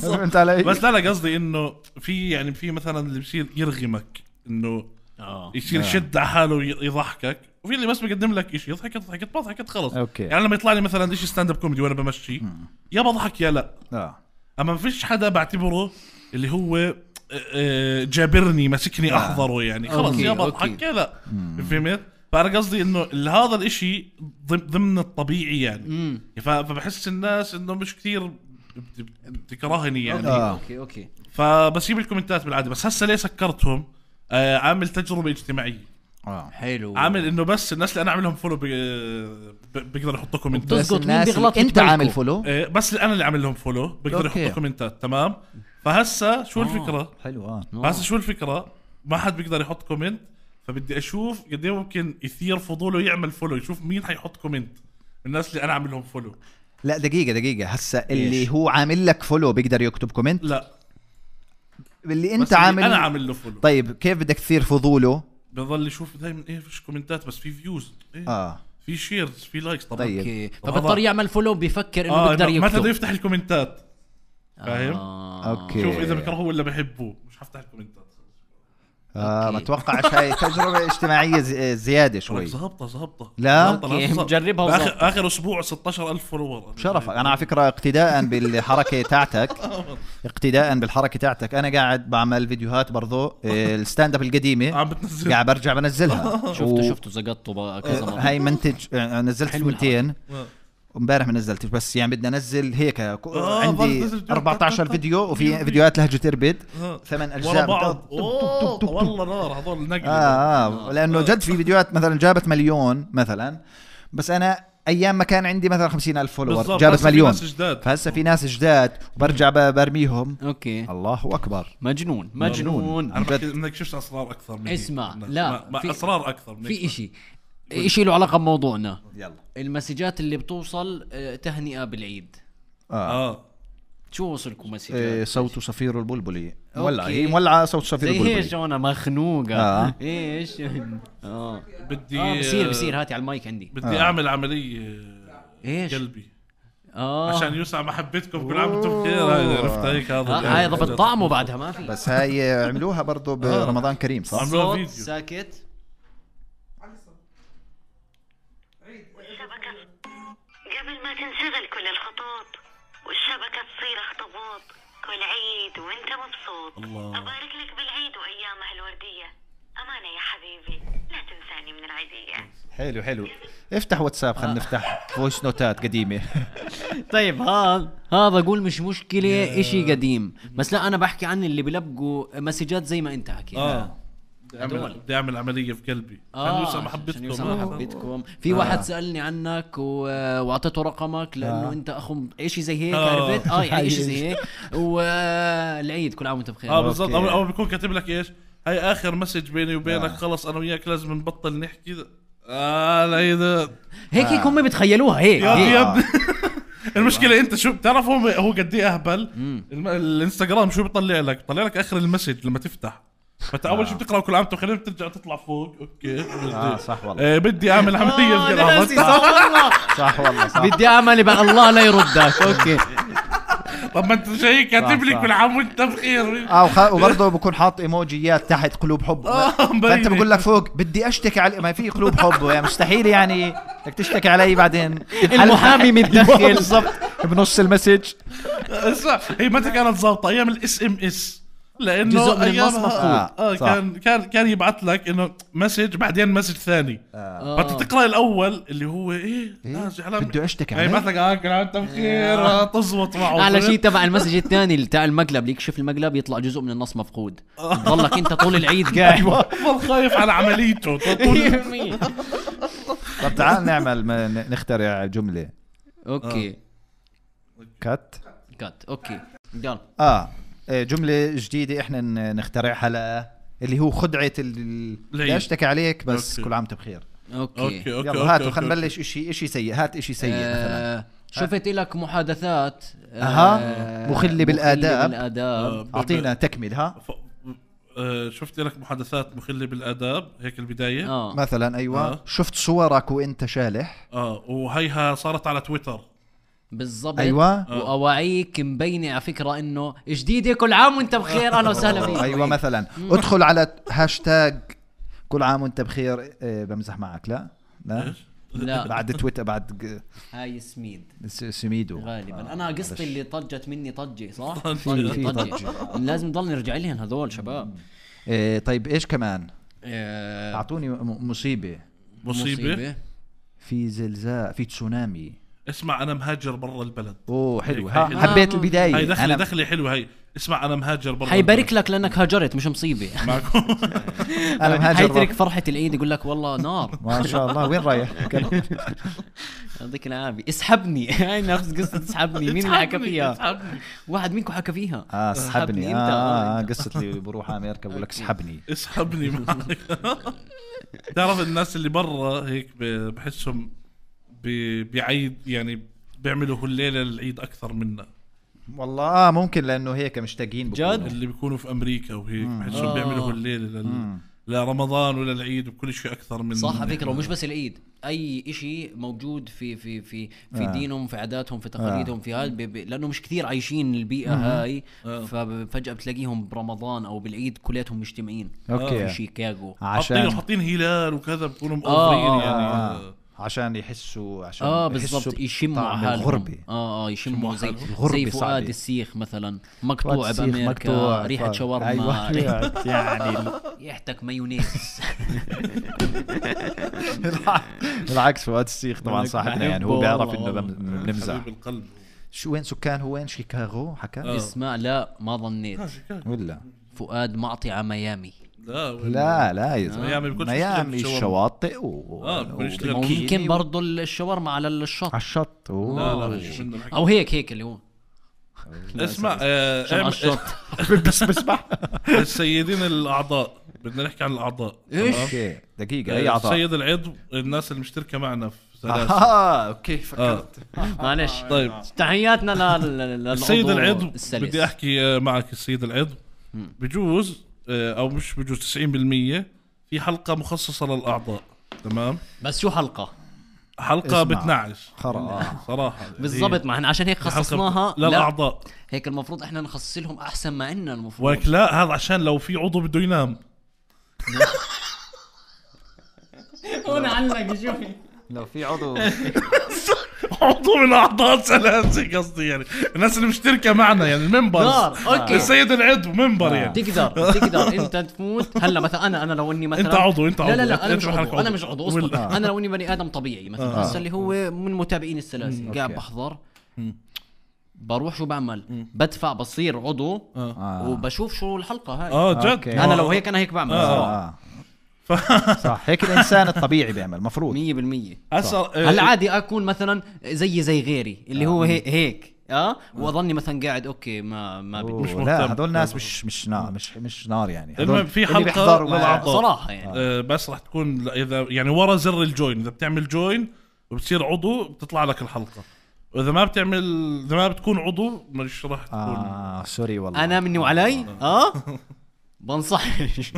فهمت علي؟ بس لا لا قصدي انه في يعني في مثلا اللي بصير يرغمك انه اه يصير يشد على حاله ويضحكك، وفي اللي بس بيقدم لك شيء يضحك يضحك بضحك خلص. أوكي. يعني لما يطلع لي مثلا شيء ستاند اب كوميدي وانا بمشي يا بضحك يا لا. اه اما ما فيش حدا بعتبره اللي هو آه، آه، جابرني ماسكني احضره يعني خلص أوكي، يا بضحك أوكي. يا لا. فهمت؟ فانا قصدي انه هذا الاشي ضم- ضمن الطبيعي يعني. امم ف- فبحس الناس انه مش كثير بت- بتكرهني يعني. آه. اوكي اوكي فبسيب الكومنتات بالعاده. بس هسه ليه سكرتهم؟ آه عامل تجربه اجتماعيه. اه حلو. عامل انه بس الناس اللي انا اعملهم فولو بيقدروا يحطوا كومنتات. بتزبط مين الناس اللي بيغلط انت يتبعكوا. عامل فولو. آه بس اللي انا اللي عامل لهم فولو بيقدروا أوكي. يحطوا كومنتات. تمام. فهسه شو الفكره؟ حلو اه فهسه شو الفكره؟ ما حد بيقدر يحط كومنت، فبدي اشوف قد ايه ممكن يثير فضوله يعمل فولو، يشوف مين حيحط كومنت الناس اللي انا عامل لهم فولو. لا دقيقه دقيقه هسه اللي إيش؟ هو عامل لك فولو بيقدر يكتب كومنت لا اللي بس انت اللي عامل. انا عامل له فولو طيب كيف بدك تثير فضوله؟ بضل يشوف دائما ايه فيش كومنتات بس في فيوز إيه؟ اه في شيرز في لايكس طبعا. طيب. اوكي وهذا- فبضطر يعمل فولو بيفكر انه اه بيقدر إنه متى بده يكتب. يفتح الكومنتات. فاهم؟ آه. أوكي. شوف اذا بكرهوه ولا بحبوه مش حفتح الكومنتات. اه ما أوكي. اتوقعش هاي تجربه اجتماعيه ز- زياده شوي. ظابطه ظابطه لا؟ أوكي، مجربها اخر وظابطة. اخر اسبوع ستاشر ألف فولور. شرف انا على فكره اقتداء بالحركه تاعتك اقتداء بالحركه تاعتك انا قاعد بعمل فيديوهات برضو آه، الستاند اب القديمه عم بتنزل قاعد برجع بنزلها. شفته شفته زقطته بقى كذا مرة. هاي منتج آه، نزلت حلو ثنتين آه. امبارح ما نزلتش بس يعني بدي انزل هيك ك- آه، عندي برضه نزل أربعة عشر فيديو. فيديو وفي فيديو. فيديوهات لهجه اربد آه. ثمان ورا اجزاء بعض. بتقعد- اوه والله نار هذول نقل. اه اه لانه جد في فيديوهات مثلا جابت مليون مثلا بس انا ايام ما كان عندي مثلا خمسين ألف فولور بالضبط. جابت هسه في مليون ناس جداد. فهسه في ناس جداد وبرجع ب- برميهم. اوكي الله اكبر. مجنون مجنون انا جد. بحكي انك شفت اسرار اكثر من اسمع، هيك. لا، ما- ما في- اسرار اكثر من في هيك. اشي اشي له علاقة بموضوعنا. يلا المسجات اللي بتوصل آه، تهنئة بالعيد. اه, اه شو وصلكم مسجات؟ إيه صوت صفير البلبلي أوكي. مولعه هي مولعه صوت صفير زي البلبلي. ايش انا مخنوقة. آه. ايش اه بدي اه بصير بصير هاتي على المايك عندي. بدي آه. اعمل عمليه ايش قلبي اه عشان يوسع محبتكم كل عام وانتم بخير. هاي عرفت هيك هذا آه، هاي ضبط طعمه بعدها ما في بس هاي عملوها برضو برمضان كريم صح؟ عملوها صوت فيديو. ساكت. الشبكة قبل ما تنشغل كل الخطوط والشبكة تصير اخطبوط كل عيد وانت مبسوط. الله. أبارك لك بالعيد وأيامه الوردية. أمانة يا حبيبي لا تنساني من العيدية. حلو حلو افتح واتساب خلينا نفتح فويس نوتات قديمه. طيب هذا هذا اقول مش مشكلة اشي قديم بس لا انا بحكي عن اللي بلبقوا مسجات زي ما انت حكيت. اه بدي اعمل هدول. بدي اعمل عمليه في قلبي عشان آه، يوسع عشان محبتكم. يوسع آه. محبتكم. في واحد سألني عنك و... واعطيته رقمك لانه آه. انت اخو اشي زي هيك آه. عرفت اه يعني اشي زي هيك والعيد كل عام وانت بخير. اه بالضبط. أوكي. او أو بيكون كاتب لك ايش هاي اخر مسج بيني وبينك آه. خلص انا وياك لازم نبطل نحكي. اه العيد هيك هيك هم بتخيلوها هيك, يا هيك. يا ابني. المشكله انت شو بتعرف هو هو قد ايه اهبل. الم- الانستغرام شو بيطلع لك؟ بيطلع لك اخر المسج لما تفتح. فانت اول شو بتقرا كل عام وانت بخير بترجع تطلع فوق. اوكي اه صح والله آه بدي اعمل عمليه آه، في أنا ناسي، قلبي. صح والله. صح والله صح. بدي اعمل بقى الله لا يردك. اوكي طب ما انت شيء كاتب صح، لي صح. كل عام وانت بخير. اه وخ... وبرضه بكون حاط ايموجيات تحت قلوب حب. آه، فانت مبين. بقول لك فوق بدي اشتكي على ما في قلوب حب يعني مستحيل يعني بدك تشتكي علي بعدين المحامي متدخل. بالضبط بنص المسج. صح. هي متى كانت ظابطه؟ ايام الاس ام اس لانه جزء من أيامها- النص مفقود. اه, آه صح. كان كان كان يبعث لك انه مسج بعدين مسج ثاني. آه. فانت تقرا الاول اللي هو ايه لا زعلان بده اشتكي يعني علي. يبعث لك اه كل عام وانت بخير. آه، تزبط معه. اعلى شيء تبع المسج الثاني اللي تاع المقلب يكشف المقلب يطلع جزء من النص مفقود. تضلك انت طول العيد قاعد. والله خايف على عمليته. طول- طب تعال نعمل ما ن- نخترع جمله اوكي كات. كات اوكي يلا اه إيه، جمله جديده احنا ن- نخترعها ل اللي هو خدعه ال- العيد. بدي اشتكي عليك بس أوكي. كل عام وانت بخير. اوكي, اوكي اوكي يلا هاتوا خلينا نبلش اشي اشي سيء. هات اشي سيء مثلا. آه شفت لك محادثات اها مخلة بالآداب. بالآداب. اعطينا تكمل. ها ف... آه شفت لك محادثات مخلة بالآداب هيك البداية. اه مثلا ايوه آه. شفت صورك وانت شالح. اه وهيها صارت على تويتر. بالضبط. ايوه واواعيك مبينه على فكره انه جديده كل عام وانت بخير. اهلا وسهلا فيك. ايوه مثلا ادخل على هاشتاج كل عام وانت بخير. إيه بمزح معك. لا لا لا بعد تويتر بعد هاي سميد سميدو غالبا. انا قصتي اللي طجت مني طجه صح. في طجه طجة. لازم نضل نرجع لهم هذول شباب. إيه طيب ايش كمان؟ آه، اعطوني م- مصيبه. مصيبة. في زلزال في تسونامي. اسمع انا مهاجر برا البلد. اوه حلو. هيك- ها هيك- حبيت آه. البدايه. هاي دخلة أنا دخلة حلوة هاي. اسمع انا مهاجر برا حيبارك لك لانك هاجرت مش مصيبه. معكم. انا مهاجر حيترك برا. فرحه العيد يقول لك والله نار. ما شاء الله. وين رايح؟ يعطيك العافيه. اسحبني. هاي نفس قصه اسحبني. مين اللي حكى فيها؟ اسحبني. واحد منكم حكى فيها. اه اسحبني. انت. اه, آه قصه اللي بروح على امريكا بقول لك اسحبني. اسحبني معك. تعرف الناس اللي برا هيك ب- بحسهم ب- بعيد يعني بيعملوا هالليلة العيد أكثر منا. والله اه ممكن لانه هيك مشتاقين بكونوا. جد؟ اللي بيكونوا في أمريكا وهيك بحسهم آه. بيعملوا هالليلة لل... لرمضان ولا العيد وكل شيء أكثر من صح على فكره. ومش بس العيد اي اشي موجود في في في في آه. دينهم في عاداتهم في تقاليدهم في هاي بي- بي- لانه مش كثير عايشين البيئه هاي. آه. ففجاه بتلاقيهم برمضان او بالعيد كلياتهم مجتمعين في اوكي شيكاغو. حاطين عشان حاطين هلال وكذا بكونوا آه، مقفرين آه، يعني آه. عشان يحسوا عشان اه يحسوا بالضبط يشموا بطعم حالهم. الغربة. اه اه يشموا زي الغربة زي فؤاد صعبة. السيخ مثلا مقطوع السيخ بامريكا. مقطوع. ريحه ف- شاورما. أيوة. ريحة- يعني ريحتك مايونيز. بالعكس فؤاد السيخ طبعا صاحبنا يعني هو بيعرف انه بم- بنمزح. حبيب القلب. شو وين سكان هو وين شيكاغو حكى آه. اسمع لا ما ظنيت. آه، شيكاغو. ولا فؤاد معطي على ميامي. لا وين- لا لا يا زلمه ميامي بيكونش ميامي يشتغل الشواطئ و آه، بيكون يشتغل و- كيني ممكن و- برضو الشاورما على الشط على الشط. أوه. لا لا مش منه الحكي. او هيك هيك اللي هو اسمع آه، عشان على اعمل- الشط. بس بسمح. السيدين الاعضاء بدنا نحكي عن الاعضاء. ايش؟ اوكي دقيقه اي اعضاء. السيد العضو الناس اللي مشتركه معنا في سلاسل. اه اوكي آه. فكرت. معلش طيب تحياتنا لل لل- السيد للعضو العضو السلس. بدي احكي آه، معك السيد العضو بجوز آه، او مش بجوز تسعين بالمية في حلقه مخصصه للاعضاء. تمام. بس شو حلقه حلقه اسمع. بتنعش خرا صراحه بالضبط. ما احنا عشان هيك هي حلقة خصصناها لا للاعضاء. هيك المفروض احنا نخصص لهم احسن ما عندنا المفروض. ولك لا هذا عشان لو في عضو بده ينام. هون علق شوفي. لو في عضو عضو من اعضاء سلاسل قصدي يعني الناس اللي مشتركه معنا يعني الممبرز. نار اوكي. السيد العضو منبر يعني. تقدر تقدر انت تفوت هلا مثلا انا انا لو اني مثلا انت عضو انت عضو لا لا لا انا أنت مش بحالك عضو انا مش عضو اصبر. ولا- انا لو اني بني ادم طبيعي مثلا آه. هسه اللي هو من متابعين السلاسل قاعد أوكي. بحضر بروح شو بعمل بدفع بصير عضو آه. وبشوف شو الحلقه هاي. اه جد. أوكي. انا لو هيك انا هيك بعمل آه. صح هيك الانسان الطبيعي بيعمل مفروض. مية بالمية. هسه هلا آه، عادي اكون مثلا زي زي غيري اللي هو هيك هيك اه واظني مثلا قاعد اوكي ما ما بدي أوه، مهتم. لا هدول ناس مش مش نار مش مش نار يعني. المهم هدول في اللي حلقة بيحضروا معاه. للأعضاء. صراحه يعني آه، بس راح تكون ل- اذا يعني ورا زر الجوين اذا بتعمل جوين وبتصير عضو بتطلع لك الحلقه. واذا ما بتعمل اذا ما بتكون عضو مش راح تكون. اه سوري والله. انا مني وعلي اه بنصحش.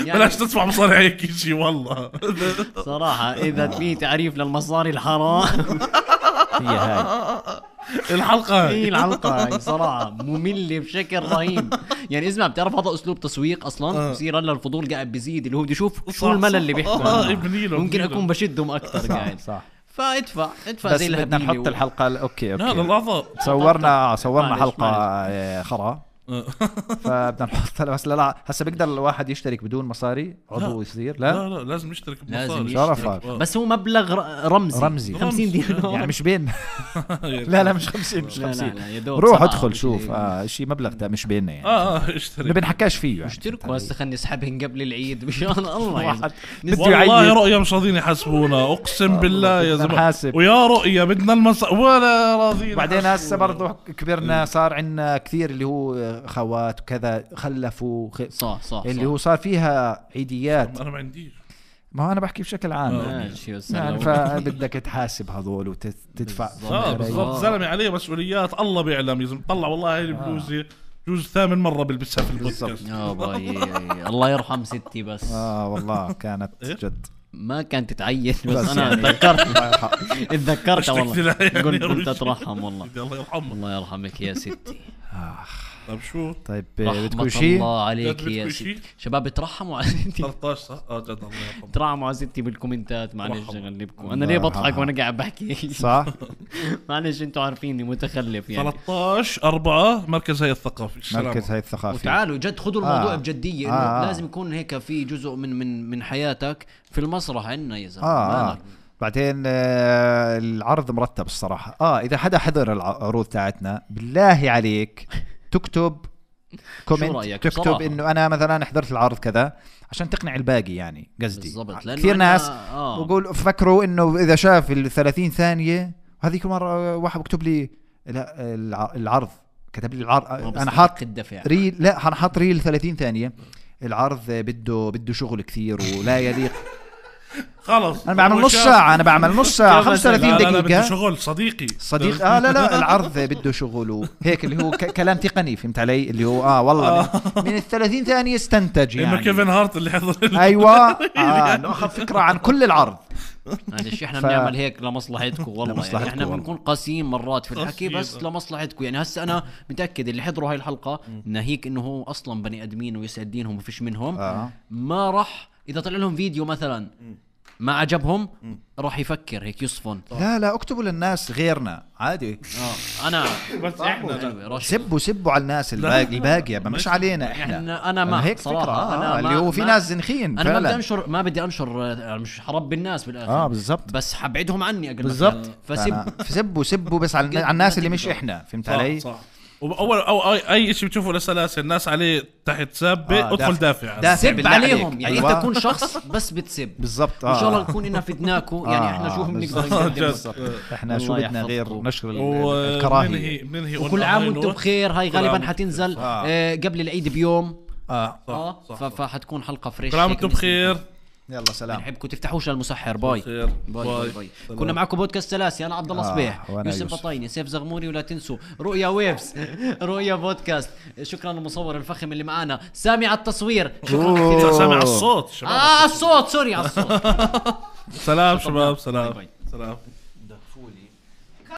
بلاش تدفع مصاري هيك شيء والله. صراحة إذا في تعريف للمصاري الحرام هي هاي الحلقه هي هاي. الحلقة هاي صراحة مملة بشكل رهيب. يعني اسمع بتعرف هذا أسلوب تسويق أصلا بصير هلا الفضول قاعد بيزيد اللي هو بده يشوف صح، شو الملل صح. اللي بيحكوا آه، عنه. ابني له، ممكن ابني له. أكون بشدهم أكثر صح قاعد صح. فادفع ادفع بس زي بدنا الهبيلة نحط و- الحلقه ال- اوكي لا اوكي للاعضاء. صورنا صورنا معلش، حلقه آه، خرا فبدنا نحط بس لا لا هسه بيقدر الواحد يشترك بدون مصاري عضو يصير لا لا لا لازم يشترك لازم بمصاري. شرفك. آه. بس هو مبلغ ر- رمزي رمزي. خمسين دينار يعني مش بين لا لا مش خمسين مش لا لا خمسين لا يا دوب روح سبعة ادخل أو شوف شيء. اه شيء مبلغ ده مش بيننا يعني اه اه اللي اشترك. بنحكاش فيه يعني اشتركوا هسه خلني اسحبهن قبل العيد مشان الله يعني. واحد بده والله يعيد رؤيا مش راضيين يحاسبونا اقسم بالله يا بدنا زلمه. نحاسب. ويا رؤيا بدنا المص ولا راضيين. بعدين هسه يحاسبونا. برضه كبرنا صار عندنا كثير اللي هو خوات وكذا خلفوا خ... صح صح اللي صح. هو صار فيها عيديات انا ما عنديش. ما هو انا بحكي بشكل عام ماشي بس يعني لو- فبدك تحاسب هذول وتدفع اه بالضبط زلمه عليه مسؤوليات الله بيعلم اذا طلع والله هاي البلوزه جوز ثامن مره بلبسها في البودكاست يا باي الله يرحم ستي بس اه والله كانت إيه؟ جد ما كانت تعين بس, بس انا يعني- تذكرت الله يرحم. اتذكرت اشتكت والله لها يعني قلت أول انت شيء. ترحم والله الله يرحمه. الله يرحمك يا ستي طيب شو طيب رحمة بدكم شيء الله عليك بدكم يا شيء؟ ستي شباب ترحموا على ستي ثلاثة عشر صح اه جد الله يرحمه. ترحموا على ستي بالكومنتات معلش رحمة. اغلبكم الله انا ليه بضحك يرحمها. وانا قاعد بحكي صح معلش انتوا عارفيني متخلف يعني ثلاثة عشر أربعة مركز هيئة الثقافي السلام مركز هاي الثقافي وتعالوا جد خذوا الموضوع آه. بجديه انه آه. لازم يكون هيك في جزء من من من حياتك في المسرح عندنا يا زلمه اه, آه. مالك؟ بعدين آه العرض مرتب الصراحة اه اذا حدا حضر العروض تاعتنا بالله عليك تكتب كومنت رأيك تكتب بصراحة؟ انه انا مثلا حضرت العرض كذا عشان تقنع الباقي يعني قصدي بالضبط لأنه كثير أنا- ناس آه. بقول فكروا انه اذا شاف ال ثلاثين ثانية وهذيك مرة واحد بكتب لي لا الع- العرض كتب لي العرض انا حاط الدفع ريل لا انا حاط ريل ثلاثين ثانية العرض بده بده شغل كثير ولا يليق خلص انا بعمل هو نص شاف- ساعة انا بعمل نص ساعة كيف خمسة وثلاثين لا لا لا بده دقيقة شغل صديقي صديق اه لا لا العرض بده شغل هيك اللي هو ك- كلام تقني فهمت علي اللي هو اه والله من, من ال ثلاثين ثانية استنتج انه يعني كيفن هارت اللي حضر ايوه اه ناخذ فكرة عن كل العرض معلش احنا ف- بنعمل هيك لمصلحتكم والله يعني لمصلحتكم احنا والله. بنكون قاسيين مرات في الحكي قاسيين. بس لمصلحتكم يعني هسه انا متاكد اللي حضروا هاي الحلقه ناهيك انه هو اصلا بني ادمين ويسعد دينهم وفيش منهم اه ما راح اذا طلع لهم فيديو مثلا ما عجبهم راح يفكر هيك يصفن لا لا اكتبوا للناس غيرنا عادي اه انا بس احنا لا. أيوة، رش- سبوا سبوا على الناس الباقي الباقية مش علينا احنا احنا انا ما هيك صراحه فكرة انا آه. ما اللي هو في ما- ناس زنخين انا ما بدي فعلا انشر ما بدي انشر آه، مش حرب بالناس بالاخر اه بالضبط بس حبعدهم عني اقل بالضبط فسب فأنا- سبوا سبوا بس على على الناس اللي مش احنا فهمت علي صح صح واول او اي, أي شيء بتشوفه لسلاسل الناس عليه تحت سابه آه، ادخل دافع. دافع, دافع. سب بالله عليهم عليك. يعني أيوة. انت تكون شخص بس بتسب بالضبط ان شاء الله اه نكون إنا فدناكم يعني آه، احنا شو بنقدر بالضبط. نقدم بالضبط. احنا الله شو بدنا يحفظكم. غير نشر ال- الكراهية وبننهي بننهي وكل on عام a high وانتم note. بخير هاي كل عام غالبا وانتم حتنزل آه. آه، قبل العيد بيوم اه اه صح، ف- صح. فحتكون حلقه فريش كل عام هيك وانتم بخير يلا سلام بنحبكم تفتحوش المسحر باي خير. باي باي, باي. باي. سلام. كنا معكم بودكاست سلاسي انا عبد الله آه، صبيح وأنا يوسف يوسف. بطايني سيف زغموري ولا تنسوا رؤيا ويفز رؤيا بودكاست شكرا للمصور الفخم اللي معانا سامي على التصوير شكرا أوه. كثير سامع الصوت شباب اه الصوت سوري على الصوت سلام شباب باي سلام باي. سلام